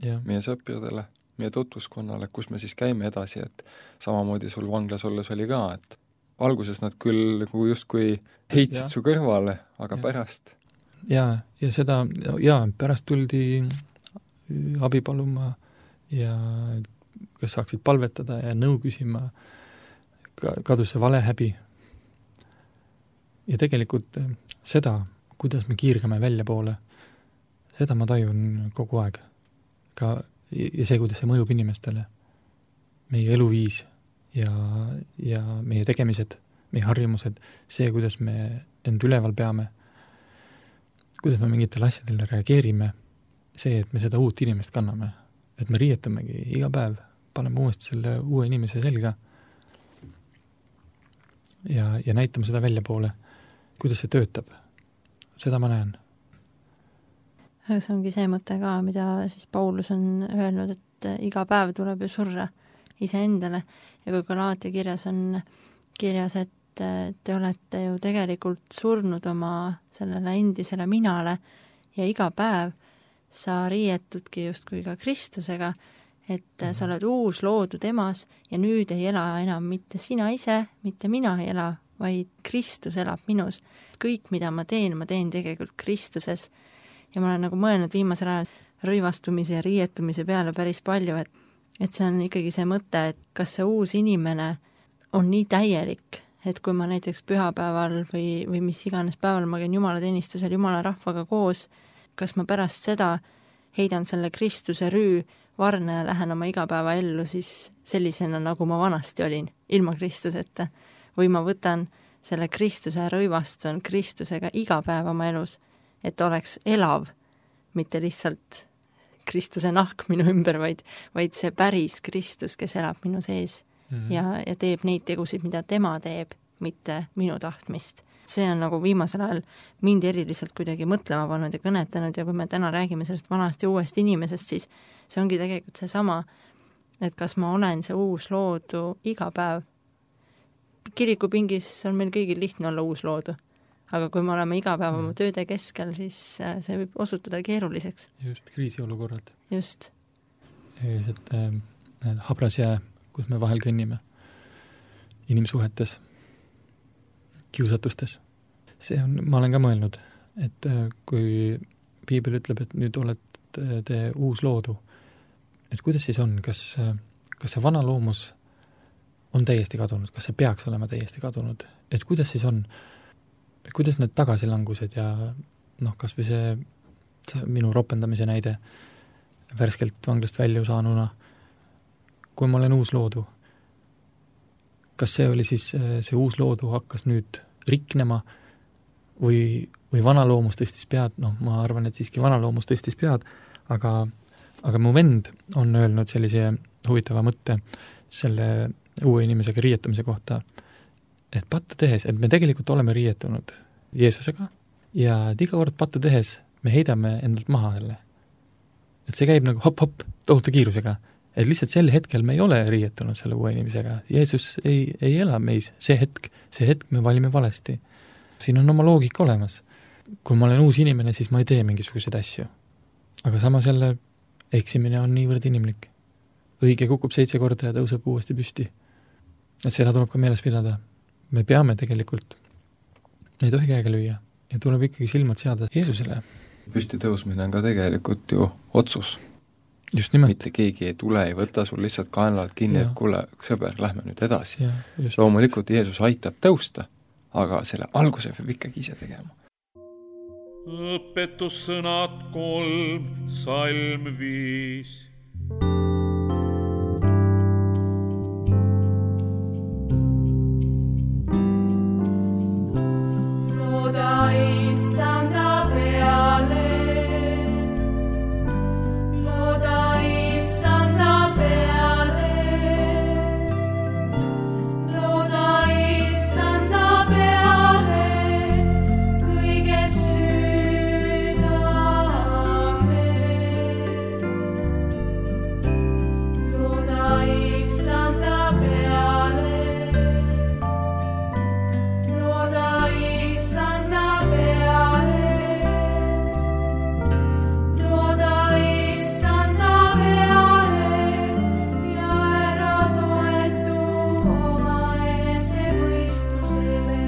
Ja. Meie sõpradele, meie tutvuskonnale, kus me siis käime edasi, et samamoodi sul vanglas olles oli ka, et alguses nad küll nagu justkui heitsid ja. Su kõrvale, aga ja. Pärast. Ja, ja seda, ja pärast tuldi abi paluma ja kes saaksid palvetada ja nõu küsima, kadus see vale häbi. Ja tegelikult seda, kuidas me kiirgame välja poole, seda ma tajun kogu aeg. Ka, ja see, kuidas see mõjub inimestele. Meie eluviis ja, ja meie tegemised, meie harjumused, see, kuidas me end üleval peame, kuidas me mingitele asjadele reageerime, see, et me seda uut inimest kanname, et me riietamegi iga päev, paneme uuesti selle uue inimese selga ja, ja näitame seda välja poole, kuidas see töötab. Seda ma näen. Aga see ongi see mõte ka, mida siis Paulus on öelnud, et iga päev tuleb ju surra iseendale ja kui Galaatia kirjas on kirjas, et te olete ju tegelikult surnud oma sellele endisele minale ja iga päev sa riietudki justkui ka Kristusega, et sa oled uus loodud emas ja nüüd ei ela enam mitte sina ise, mitte mina ei ela, vaid Kristus elab minus. Kõik, mida ma teen, ma teen tegelikult Kristuses. Ja ma olen nagu mõelnud viimasel ajal rõivastumise ja riietumise peale päris palju, et, et see on ikkagi see mõte, et kas see uus inimene on nii täielik, et kui ma näiteks pühapäeval või, või mis iganes päeval ma käin Jumala teenistusel Jumala rahvaga koos, kas ma pärast seda heidan selle Kristuse rüü varna ja lähen oma igapäeva ellu siis sellisena, nagu ma vanasti olin, ilma Kristuseta. Või ma võtan selle Kristuse rõivastun Kristusega iga päev oma elus, et oleks elav, mitte lihtsalt Kristuse nahk minu ümber, vaid, vaid see päris Kristus, kes elab minu sees mm -hmm. ja, ja teeb neid tegusid, mida tema teeb, mitte minu tahtmist. See on nagu viimasel ajal mind eriliselt kuidagi mõtlema pannud ja kõnetanud ja kui me täna räägime sellest vanast ja uuest inimesest, siis see ongi tegelikult seesama, et kas ma olen see uus loodu iga päev. Kirikupingis on meil kõigil lihtne olla uus loodu, aga kui me oleme iga päev oma tööde keskel, siis see võib osutuda keeruliseks. Just, kriisiolukorrad. Just. Sellised äh, habras jää, kus me vahel kõnnime inimsuhetes, kiusatustes. See on, ma olen ka mõelnud, et äh, kui Piibel ütleb, et nüüd olete te uus loodu, et kuidas siis on, kas, kas see vana loomus on täiesti kadunud, kas see peaks olema täiesti kadunud, et kuidas siis on, kuidas need tagasilangused ja noh, kas või see, see minu ropendamise näide värskelt vanglast välja saanuna, kui ma olen uus loodu, kas see oli siis, see uus loodu hakkas nüüd riknema või, või vana loomus tõstis pead, noh, ma arvan, et siiski vana loomus tõstis pead, aga, aga mu vend on öelnud sellise huvitava mõtte selle uue inimesega riietamise kohta, et pattu tehes, et me tegelikult oleme riietunud Jeesusega ja et iga kord pattu tehes me heidame endalt maha selle. Et see käib nagu hop-hop tohuta kiirusega, et lihtsalt sel hetkel me ei ole riietunud selle uue inimesega. Jeesus ei, ei ela meis see hetk, see hetk me valime valesti. Siin on oma loogika olemas. Kui ma olen uus inimene, siis ma ei tee mingisuguseid asju. Aga samas jälle eksimine on niivõrd inimlik. Õige kukub seitse korda ja tõuseb uuesti püsti. Et seda tuleb ka meeles pidada. Me peame tegelikult, me ei tohi käega lüüa ja tuleb ikkagi silmad seada Jeesusele. Püsti tõusmine on ka tegelikult ju otsus. Just nimelt. Mitte keegi ei tule, ei võta sul lihtsalt kaenlalt kinni, et kuule, sõber, lähme nüüd edasi. Ja, loomulikult Jeesus aitab tõusta, aga selle alguse peab ikkagi ise tegema. Õpetussõnad kolm, salm viis. Looda issanda peale, looda issanda peale, looda issanda peale, kõiges südames. Looda issanda peale, looda issanda peale, looda issanda peale ja ära toetu oma enesemõistusele.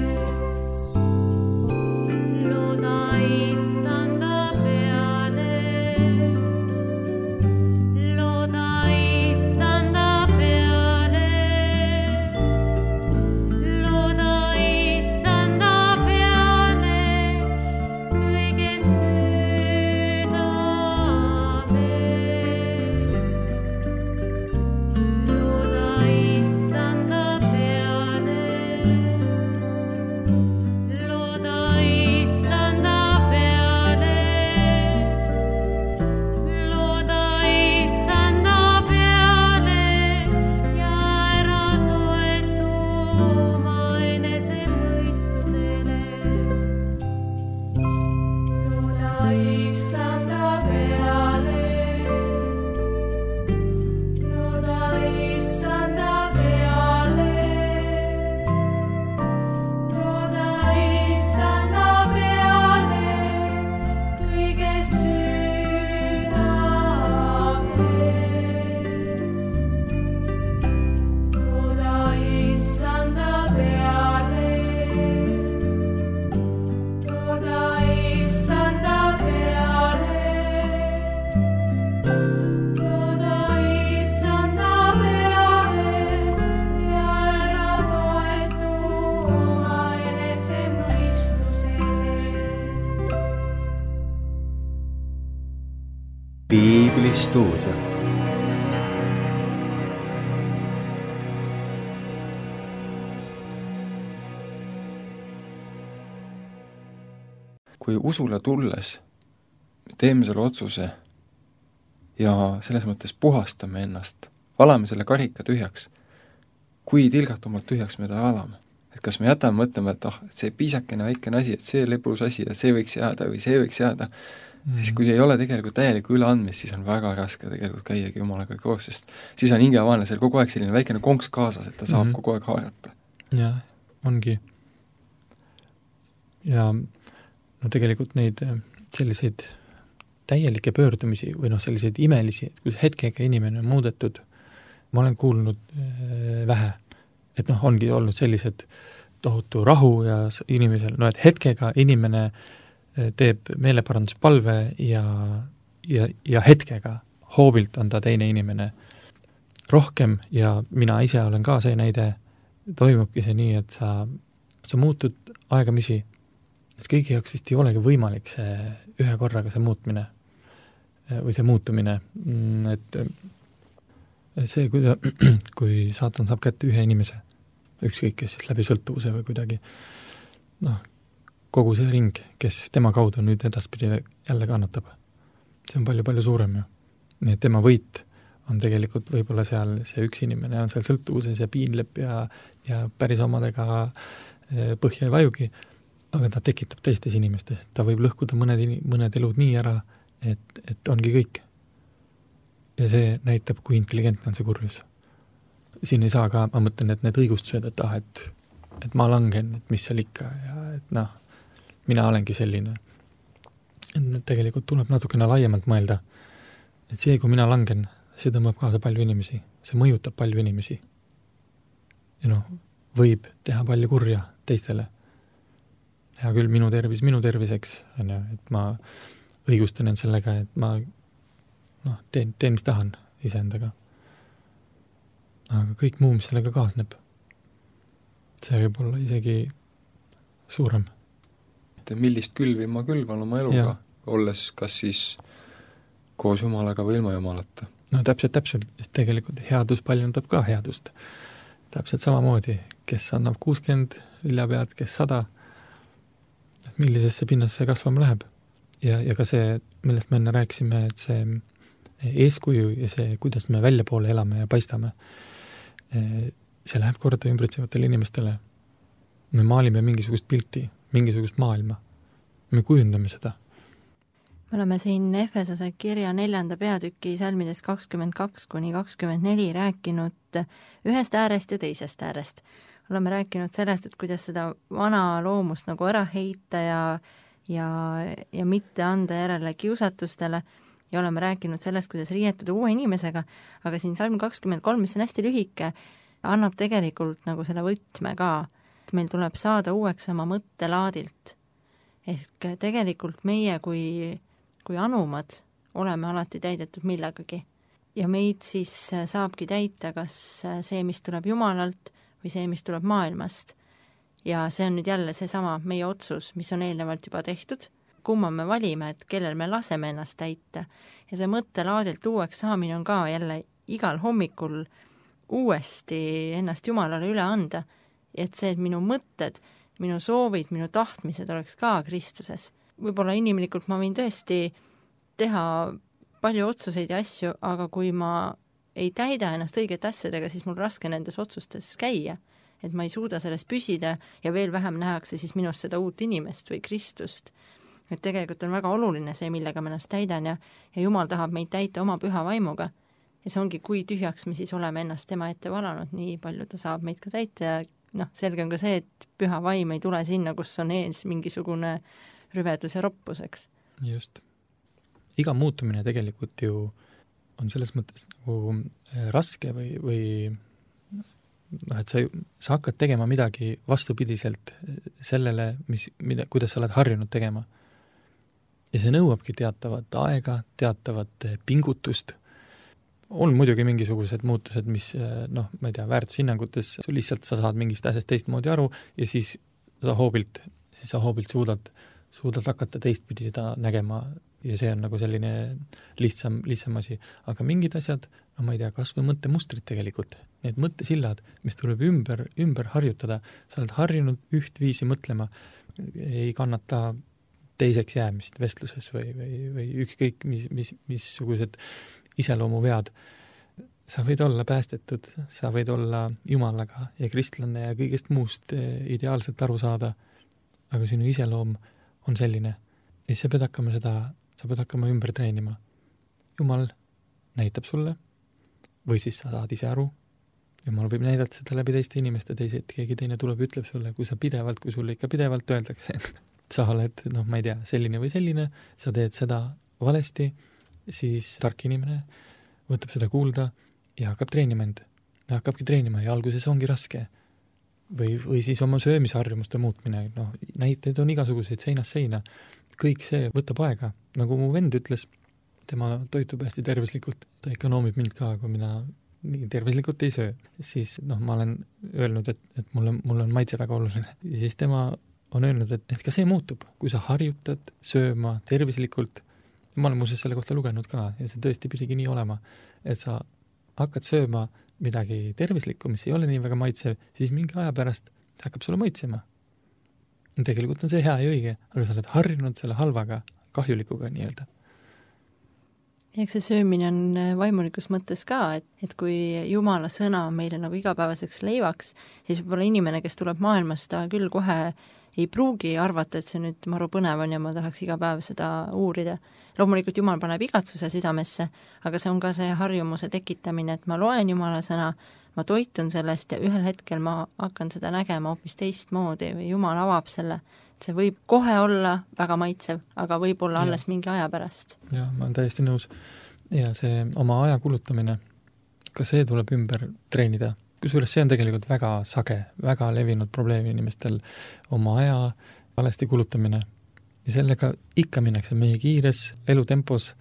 Looda issanda peale, looda issanda peale, looda issanda peale, kõiges südames. Looda issanda peale, looda issanda peale, looda issanda peale ja ära toetu oma enesemõistusele. Looda issanda peale, looda issanda peale, looda issanda peale, kõiges südames. Looda issanda peale, looda issanda peale, looda issanda peale ja ära toetu oma enesemõistusele. Piiblistuudio. Kui usule tulles me teeme selle otsuse ja selles mõttes puhastame ennast, valame selle karika tühjaks. Kui tilgatumalt tühjaks me ta valame? Et kas me jätame mõtlema, et ah, et see piisakene väikene asi, et see lepus asi, et see võiks jääda või see võiks jääda, mm. siis kui ei ole tegelikult täielikku üleandmist, siis on väga raske tegelikult käiagi Jumalaga koos, sest siis on hingevaanelisel kogu aeg selline väikene konks kaasas, et ta saab mm. kogu aeg haarata. Jah, ongi. Ja no tegelikult neid selliseid täielikke pöördumisi või noh, selliseid imelisi, et kus hetkega inimene on muudetud, ma olen kuulnud äh, vähe. Et noh, ongi olnud sellised tohutu rahu ja inimesel, no et hetkega inimene teeb meeleparanduspalve ja, ja, ja hetkega hoobilt on ta teine inimene rohkem ja mina ise olen ka see näide, toimubki see nii, et sa, sa muutud aegamisi, et kõigi jaoks vist ei olegi võimalik see ühe korraga see muutmine või see muutumine, et see, kui, ta, kui saatan saab kätte ühe inimese, ükskõik, kes siis läbi sõltuvuse või kuidagi, noh, kogu see ring, kes tema kaudu nüüd edaspidi jälle kannatab. See on palju-palju suurem ju. Nii et tema võit on tegelikult võib-olla seal see üks inimene on seal sõltuvuses ja piinleb ja, ja päris omadega põhja ei vajugi, aga ta tekitab teistes inimestes. Ta võib lõhkuda mõned, mõned elud nii ära, et, et ongi kõik. Ja see näitab, kui intelligentne on see kurjus. Siin ei saa ka, ma mõtlen, et need õigustused, et ah, et, et ma langen, et mis seal ikka ja et noh, mina olengi selline. Et tegelikult tuleb natukene laiemalt mõelda, et see, kui mina langen, see tõmbab kaasa palju inimesi, see mõjutab palju inimesi. Ja noh, võib teha palju kurja teistele. Hea küll, minu tervis, minu terviseks, on ju, et ma õigustan end sellega, et ma noh, teen, teen mis tahan iseendaga. Aga kõik muu, mis sellega kaasneb, see võib olla isegi suurem. Millist külvi ma külvan oma eluga, ja. Olles kas siis koos Jumalaga või ilma Jumalata? No täpselt, täpselt, sest tegelikult headus paljundab ka headust. Täpselt samamoodi, kes annab kuuskümmend viljapead, kes sada, millisesse pinnasse kasvama läheb. Ja, ja ka see, millest me enne rääkisime, et see eeskuju ja see, kuidas me välja poole elame ja paistame, see läheb korda ümbritsevatele inimestele. Me maalime mingisugust pilti, mingisugust maailma. Me kujundame seda. Me oleme siin Efesose kirja neljanda peatüki salmidest kakskümmend kaks kuni kakskümmend neli rääkinud ühest äärest ja teisest äärest. Oleme rääkinud sellest, et kuidas seda vana loomust nagu ära heita ja, ja, ja mitte anda järele kiusatustele ja oleme rääkinud sellest, kuidas riietuda uue inimesega, aga siin salm kakskümmend kolm, mis on hästi lühike, annab tegelikult nagu selle võtme ka, et meil tuleb saada uueks oma mõttelaadilt. Ehk tegelikult meie kui, kui anumad oleme alati täidetud millegagi. Ja meid siis saabki täita kas see, mis tuleb Jumalalt või see, mis tuleb maailmast. Ja see on nüüd jälle seesama meie otsus, mis on eelnevalt juba tehtud, kumma me valime, et kellel me laseme ennast täita. Ja see mõttelaadilt uueks saamine on ka jälle igal hommikul uuesti ennast Jumalale üle anda. Et see, et minu mõtted, minu soovid, minu tahtmised oleks ka Kristuses. Võib-olla inimlikult ma võin tõesti teha palju otsuseid ja asju, aga kui ma ei täida ennast õigete asjadega, siis mul raske nendes otsustes käia. Et ma ei suuda sellest püsida ja veel vähem nähakse siis minust seda uut inimest või Kristust. Et tegelikult on väga oluline see, millega ma ennast täidan ja, ja Jumal tahab meid täita oma püha vaimuga. Ja see ongi, kui tühjaks me siis oleme ennast tema ette valanud, nii palju ta saab meid ka täita ja noh, selge on ka see, et püha vaim ei tule sinna, kus on ees mingisugune rüvedus ja roppuseks. Just. Iga muutumine tegelikult ju on selles mõttes nagu raske või, või noh, et sa, sa hakkad tegema midagi vastupidiselt sellele, mis, mida, kuidas sa oled harjunud tegema. Ja see nõuabki teatavat aega, teatavat pingutust. On muidugi mingisugused muutused, mis, noh, ma ei tea, väärtushinnangutes lihtsalt sa saad mingist asjast teistmoodi aru ja siis sa hoobilt, siis sa hoobilt suudad, suudad hakata teistpidi seda nägema ja see on nagu selline lihtsam, lihtsam asi. Aga mingid asjad, no ma ei tea, kas või mõttemustrid tegelikult, need mõttesillad, mis tuleb ümber, ümber harjutada, sa oled harjunud üht viisi mõtlema, ei kannata teiseks jäämist vestluses või, või, või ükskõik mis, mis, missugused iseloomuvead. Sa võid olla päästetud, sa võid olla jumalaga ja kristlane ja kõigest muust ideaalselt aru saada, aga sinu iseloom on selline. Ja sa pead hakkama seda, sa pead hakkama ümber treenima. Jumal näitab sulle või siis sa saad ise aru. Jumal võib näidata seda läbi teiste inimeste, teised, keegi teine tuleb ja ütleb sulle, kui sa pidevalt, kui sulle ikka pidevalt öeldakse, sa oled, noh, ma ei tea, selline või selline, sa teed seda valesti, siis tark inimene võtab seda kuulda ja hakkab treenima end. Ja hakkabki treenima ja alguses ongi raske. Või, või siis oma söömisharjumuste muutmine. No, näiteid on igasuguseid seinast seina. Kõik see võtab aega. Nagu mu vend ütles, tema toitub hästi tervislikult. Ta ikka noomib mind ka, kui mina nii tervislikult ei söö. Siis noh, ma olen öelnud, et, et mulle, mulle on maitse väga oluline. Ja siis tema on öelnud, et, et ka see muutub. Kui sa harjutad sööma tervislikult, ma olen muuseas selle kohta lugenud ka ja see tõesti pidigi nii olema, et sa hakkad sööma midagi tervislikku, mis ei ole nii väga maitsev, siis mingi aja pärast see hakkab sulle maitsema. Tegelikult on see hea ja õige, aga sa oled harjunud selle halvaga, kahjulikuga nii-öelda. Ja eks see söömine on vaimulikus mõttes ka, et, et kui Jumala sõna on meile nagu igapäevaseks leivaks, siis võib-olla inimene, kes tuleb maailmast, ta küll kohe ei pruugi arvata, et see nüüd maru põnev on ja ma tahaks iga päev seda uurida. Loomulikult Jumal paneb igatsuse südamesse, aga see on ka see harjumuse tekitamine, et ma loen Jumala sõna, ma toitun sellest ja ühel hetkel ma hakkan seda nägema hoopis teistmoodi või Jumal avab selle. See võib kohe olla väga maitsev, aga võib olla alles mingi aja pärast. Ja, ma olen täiesti nõus. Ja see oma aja kulutamine, ka see tuleb ümber treenida. Kusjuures see on tegelikult väga sage, väga levinud probleem inimestel oma aja valesti kulutamine. Ja sellega ikka minnakse meie kiires elutempos,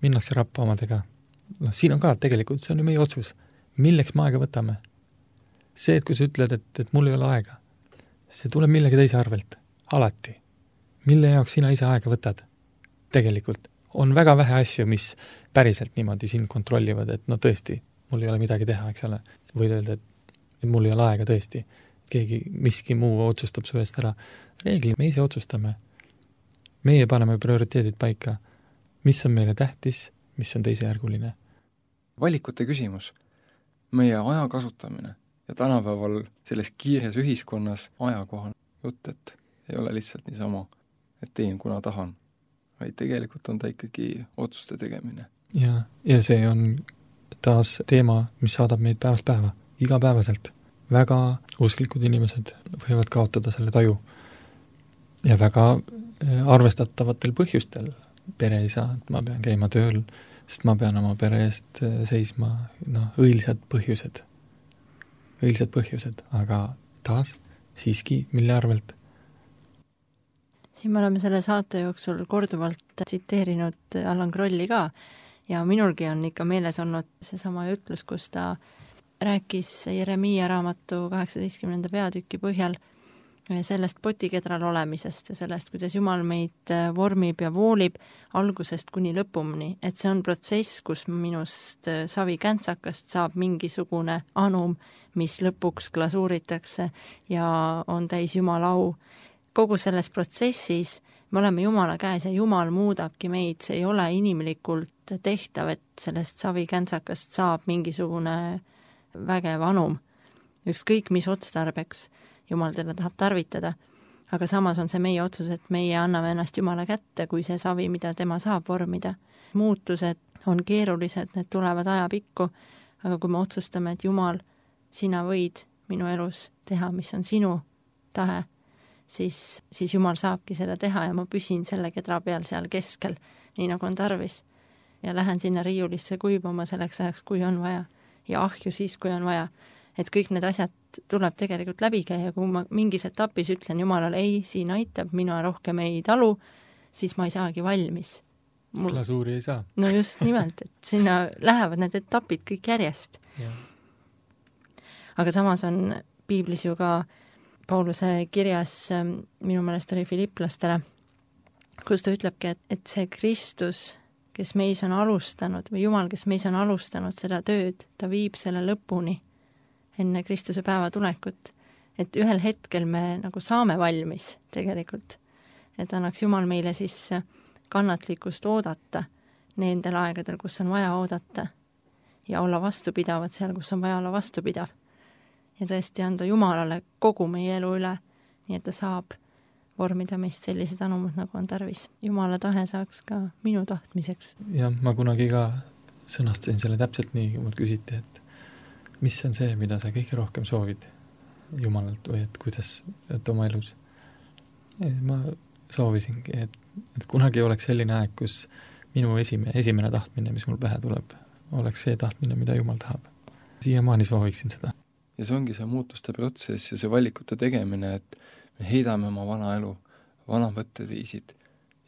minnakse rappa omadega. No, siin on ka tegelikult, see on ju meie otsus. Milleks me aega võtame? See, et kui sa ütled, et, et mul ei ole aega, see tuleb millegi teise arvelt. Alati. Mille jaoks sina ise aega võtad? Tegelikult on väga vähe asju, mis päriselt niimoodi sind kontrollivad, et no tõesti, mul ei ole midagi teha, eks ole. Võid öelda, et mul ei ole aega tõesti. Keegi, miski muu otsustab su eest ära. Reegli, me ise otsustame. Meie paneme prioriteedid paika. Mis on meile tähtis, mis on teisejärguline. Valikute küsimus. Meie aja kasutamine ja tänapäeval selles kiires ühiskonnas ajakohan jutt, et ei ole lihtsalt niisama, et teen kuna tahan, vaid tegelikult on ta ikkagi otsuste tegemine. Ja, ja see on taas teema, mis saadab meid päevast päeva, igapäevaselt. Väga usklikud inimesed võivad kaotada selle taju ja väga arvestatavatel põhjustel. Pere ei saa, et ma pean käima tööl, sest ma pean oma pere eest seisma, no, õilised põhjused. Õilised põhjused, aga taas siiski, mille arvelt? Siin me oleme selle saate jooksul korduvalt tsiteerinud Allan Krolli ka ja minulgi on ikka meeles olnud seesama ütlus, kus ta rääkis Jeremiia raamatu kaheksateistkümnenda peatüki põhjal sellest potikedral olemisest ja sellest, kuidas Jumal meid vormib ja voolib algusest kuni lõpumni, et see on protsess, kus minust savi käntsakast saab mingisugune anum, mis lõpuks glasuuritakse ja on täis Jumala au. Kogu selles protsessis me oleme Jumala käes ja Jumal muudabki meid, see ei ole inimlikult tehtav, et sellest savi käntsakast saab mingisugune vägev anum. Ükskõik mis otstarbeks Jumal teda tahab tarvitada, aga samas on see meie otsus, et meie anname ennast Jumala kätte, kui see savi, mida tema saab vormida. Muutused on keerulised, need tulevad ajapikku, aga kui me otsustame, et Jumal, sina võid minu elus teha, mis on sinu tahe, siis, siis Jumal saabki seda teha ja ma püsin selle kedra peal seal keskel, nii nagu on tarvis. Ja lähen sinna riiulisse kuivama selleks ajaks, kui on vaja. Ja ahju siis, kui on vaja. Et kõik need asjad tuleb tegelikult läbi käia, kui ma mingis etapis ütlen Jumalale, ei, siin aitab, mina rohkem ei talu, siis ma ei saagi valmis. Mul... Glasuuri ei saa. No just nimelt, et sinna lähevad need etapid kõik järjest. Ja. Aga samas on piiblis ju ka Pauluse kirjas, minu meelest oli Filiplastele, kus ta ütlebki, et, et see Kristus, kes meis on alustanud, või Jumal, kes meis on alustanud seda tööd, ta viib selle lõpuni enne Kristuse päeva tulekut. Et ühel hetkel me nagu saame valmis tegelikult. Et annaks Jumal meile siis kannatlikkust oodata nendel aegadel, kus on vaja oodata ja olla vastupidavad seal, kus on vaja olla vastupidav. Ja tõesti anda Jumalale kogu meie elu üle, nii et ta saab vormida meist sellised anumad, nagu on tarvis. Jumala tahe saaks ka minu tahtmiseks. Ja ma kunagi ka sõnastasin selle täpselt nii, kui mult küsiti, et mis on see, mida sa kõige rohkem soovid Jumalalt või et kuidas, et oma elus. Ja ma soovisingi, et, et kunagi oleks selline aeg, kus minu esime, esimene tahtmine, mis mul pähe tuleb, oleks see tahtmine, mida Jumal tahab. Siiamaani sooviksin seda. Ja see ongi see muutuste protsess ja see valikute tegemine, et me heidame oma vana elu, vana mõtteviisid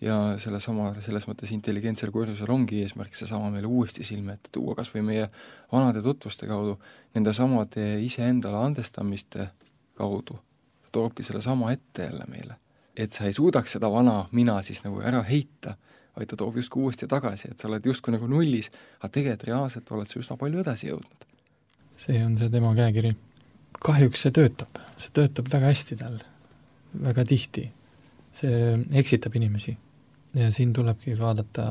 ja selle sama, selles mõttes intelligentsel kurjusel ongi eesmärk see sama meile uuesti silme ette tuua, kas või meie vanade tutvuste kaudu, nende samade iseendale andestamiste kaudu, toobki selle sama ette jälle meile. Et sa ei suudaks seda vana mina siis nagu ära heita, vaid ta toob justkui uuesti tagasi, et sa oled justkui nagu nullis, aga tegelikult reaalselt oled sa üsna palju edasi jõudnud. See on see tema käekiri. Kahjuks see töötab, see töötab väga hästi tal, väga tihti. See eksitab inimesi ja siin tulebki vaadata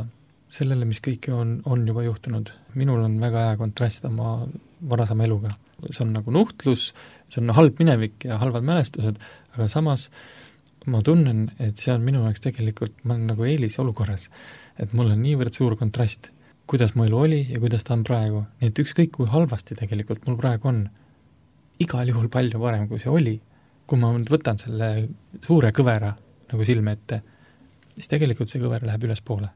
sellele, mis kõike on, on juba juhtunud. Minul on väga hea kontrast oma varasema eluga. See on nagu nuhtlus, see on halb minevik ja halvad mälestused, aga samas ma tunnen, et see on minu jaoks tegelikult, ma olen nagu eelis olukorras, et mul on niivõrd suur kontrast, kuidas mu elu oli ja kuidas ta on praegu. Nii et ükskõik kui halvasti tegelikult mul praegu on, igal juhul palju parem kui see oli. Kui ma nüüd võtan selle suure kõvera nagu silme ette, siis tegelikult see kõver läheb üles poole.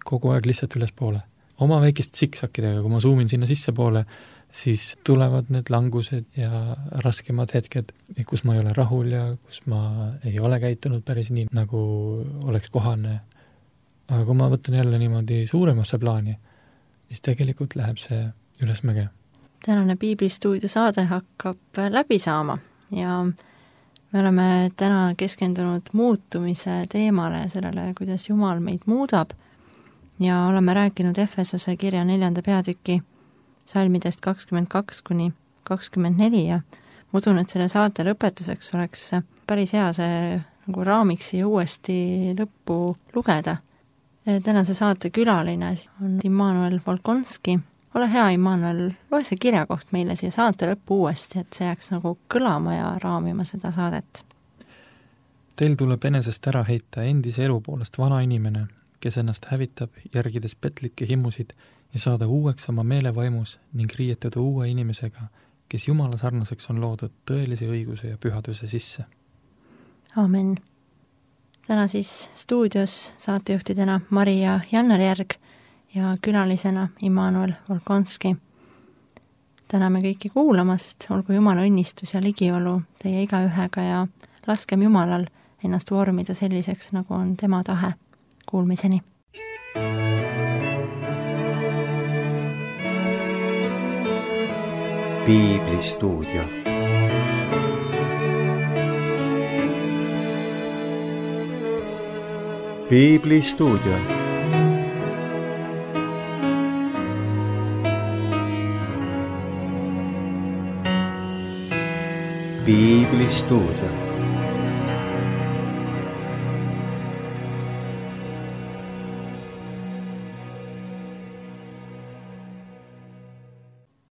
Kogu aeg lihtsalt üles poole. Oma väikest siksakidega, kui ma zoomin sinna sisse poole, siis tulevad need langused ja raskemad hetked, kus ma ei ole rahul ja kus ma ei ole käitunud päris nii, nagu oleks kohane. Aga kui ma võtan jälle niimoodi suuremasse plaani, siis tegelikult läheb see üles mäge. Tänane Piiblistuudio saade hakkab läbi saama ja me oleme täna keskendunud muutumise teemale ja sellele, kuidas Jumal meid muudab ja oleme rääkinud Efesose kirja neljanda peatüki salmidest kakskümmend kaks kuni kakskümmend neli ja ma usun, et selle saate lõpetuseks oleks päris hea see nagu raamiks ja uuesti lõppu lugeda. Tänase saate külaline on Immanuel Volkonski. Ole hea, Immanuel, loe see kirjakoht meile siia saate lõppu uuesti, et see jääks nagu kõlama ja raamima seda saadet. Teil tuleb enesest ära heita endise elu poolest vana inimene, kes ennast hävitab, järgides petlikke himmusid ja saada uueks oma meelevaimus ning riietuda uue inimesega, kes Jumala sarnaseks on loodud tõelise õiguse ja pühaduse sisse. Amen. Täna siis stuudios saatejuhtidena Mari ja Jannar Järg ja külalisena Immanuel Volkonski. Täname kõiki kuulamast, olgu Jumala õnnistus ja ligiolu teie igaühega ja laskem Jumalal ennast vormida selliseks, nagu on tema tahe. Kuulmiseni. Piiblistuudio. Piiblistuudio. Piiblistuudio.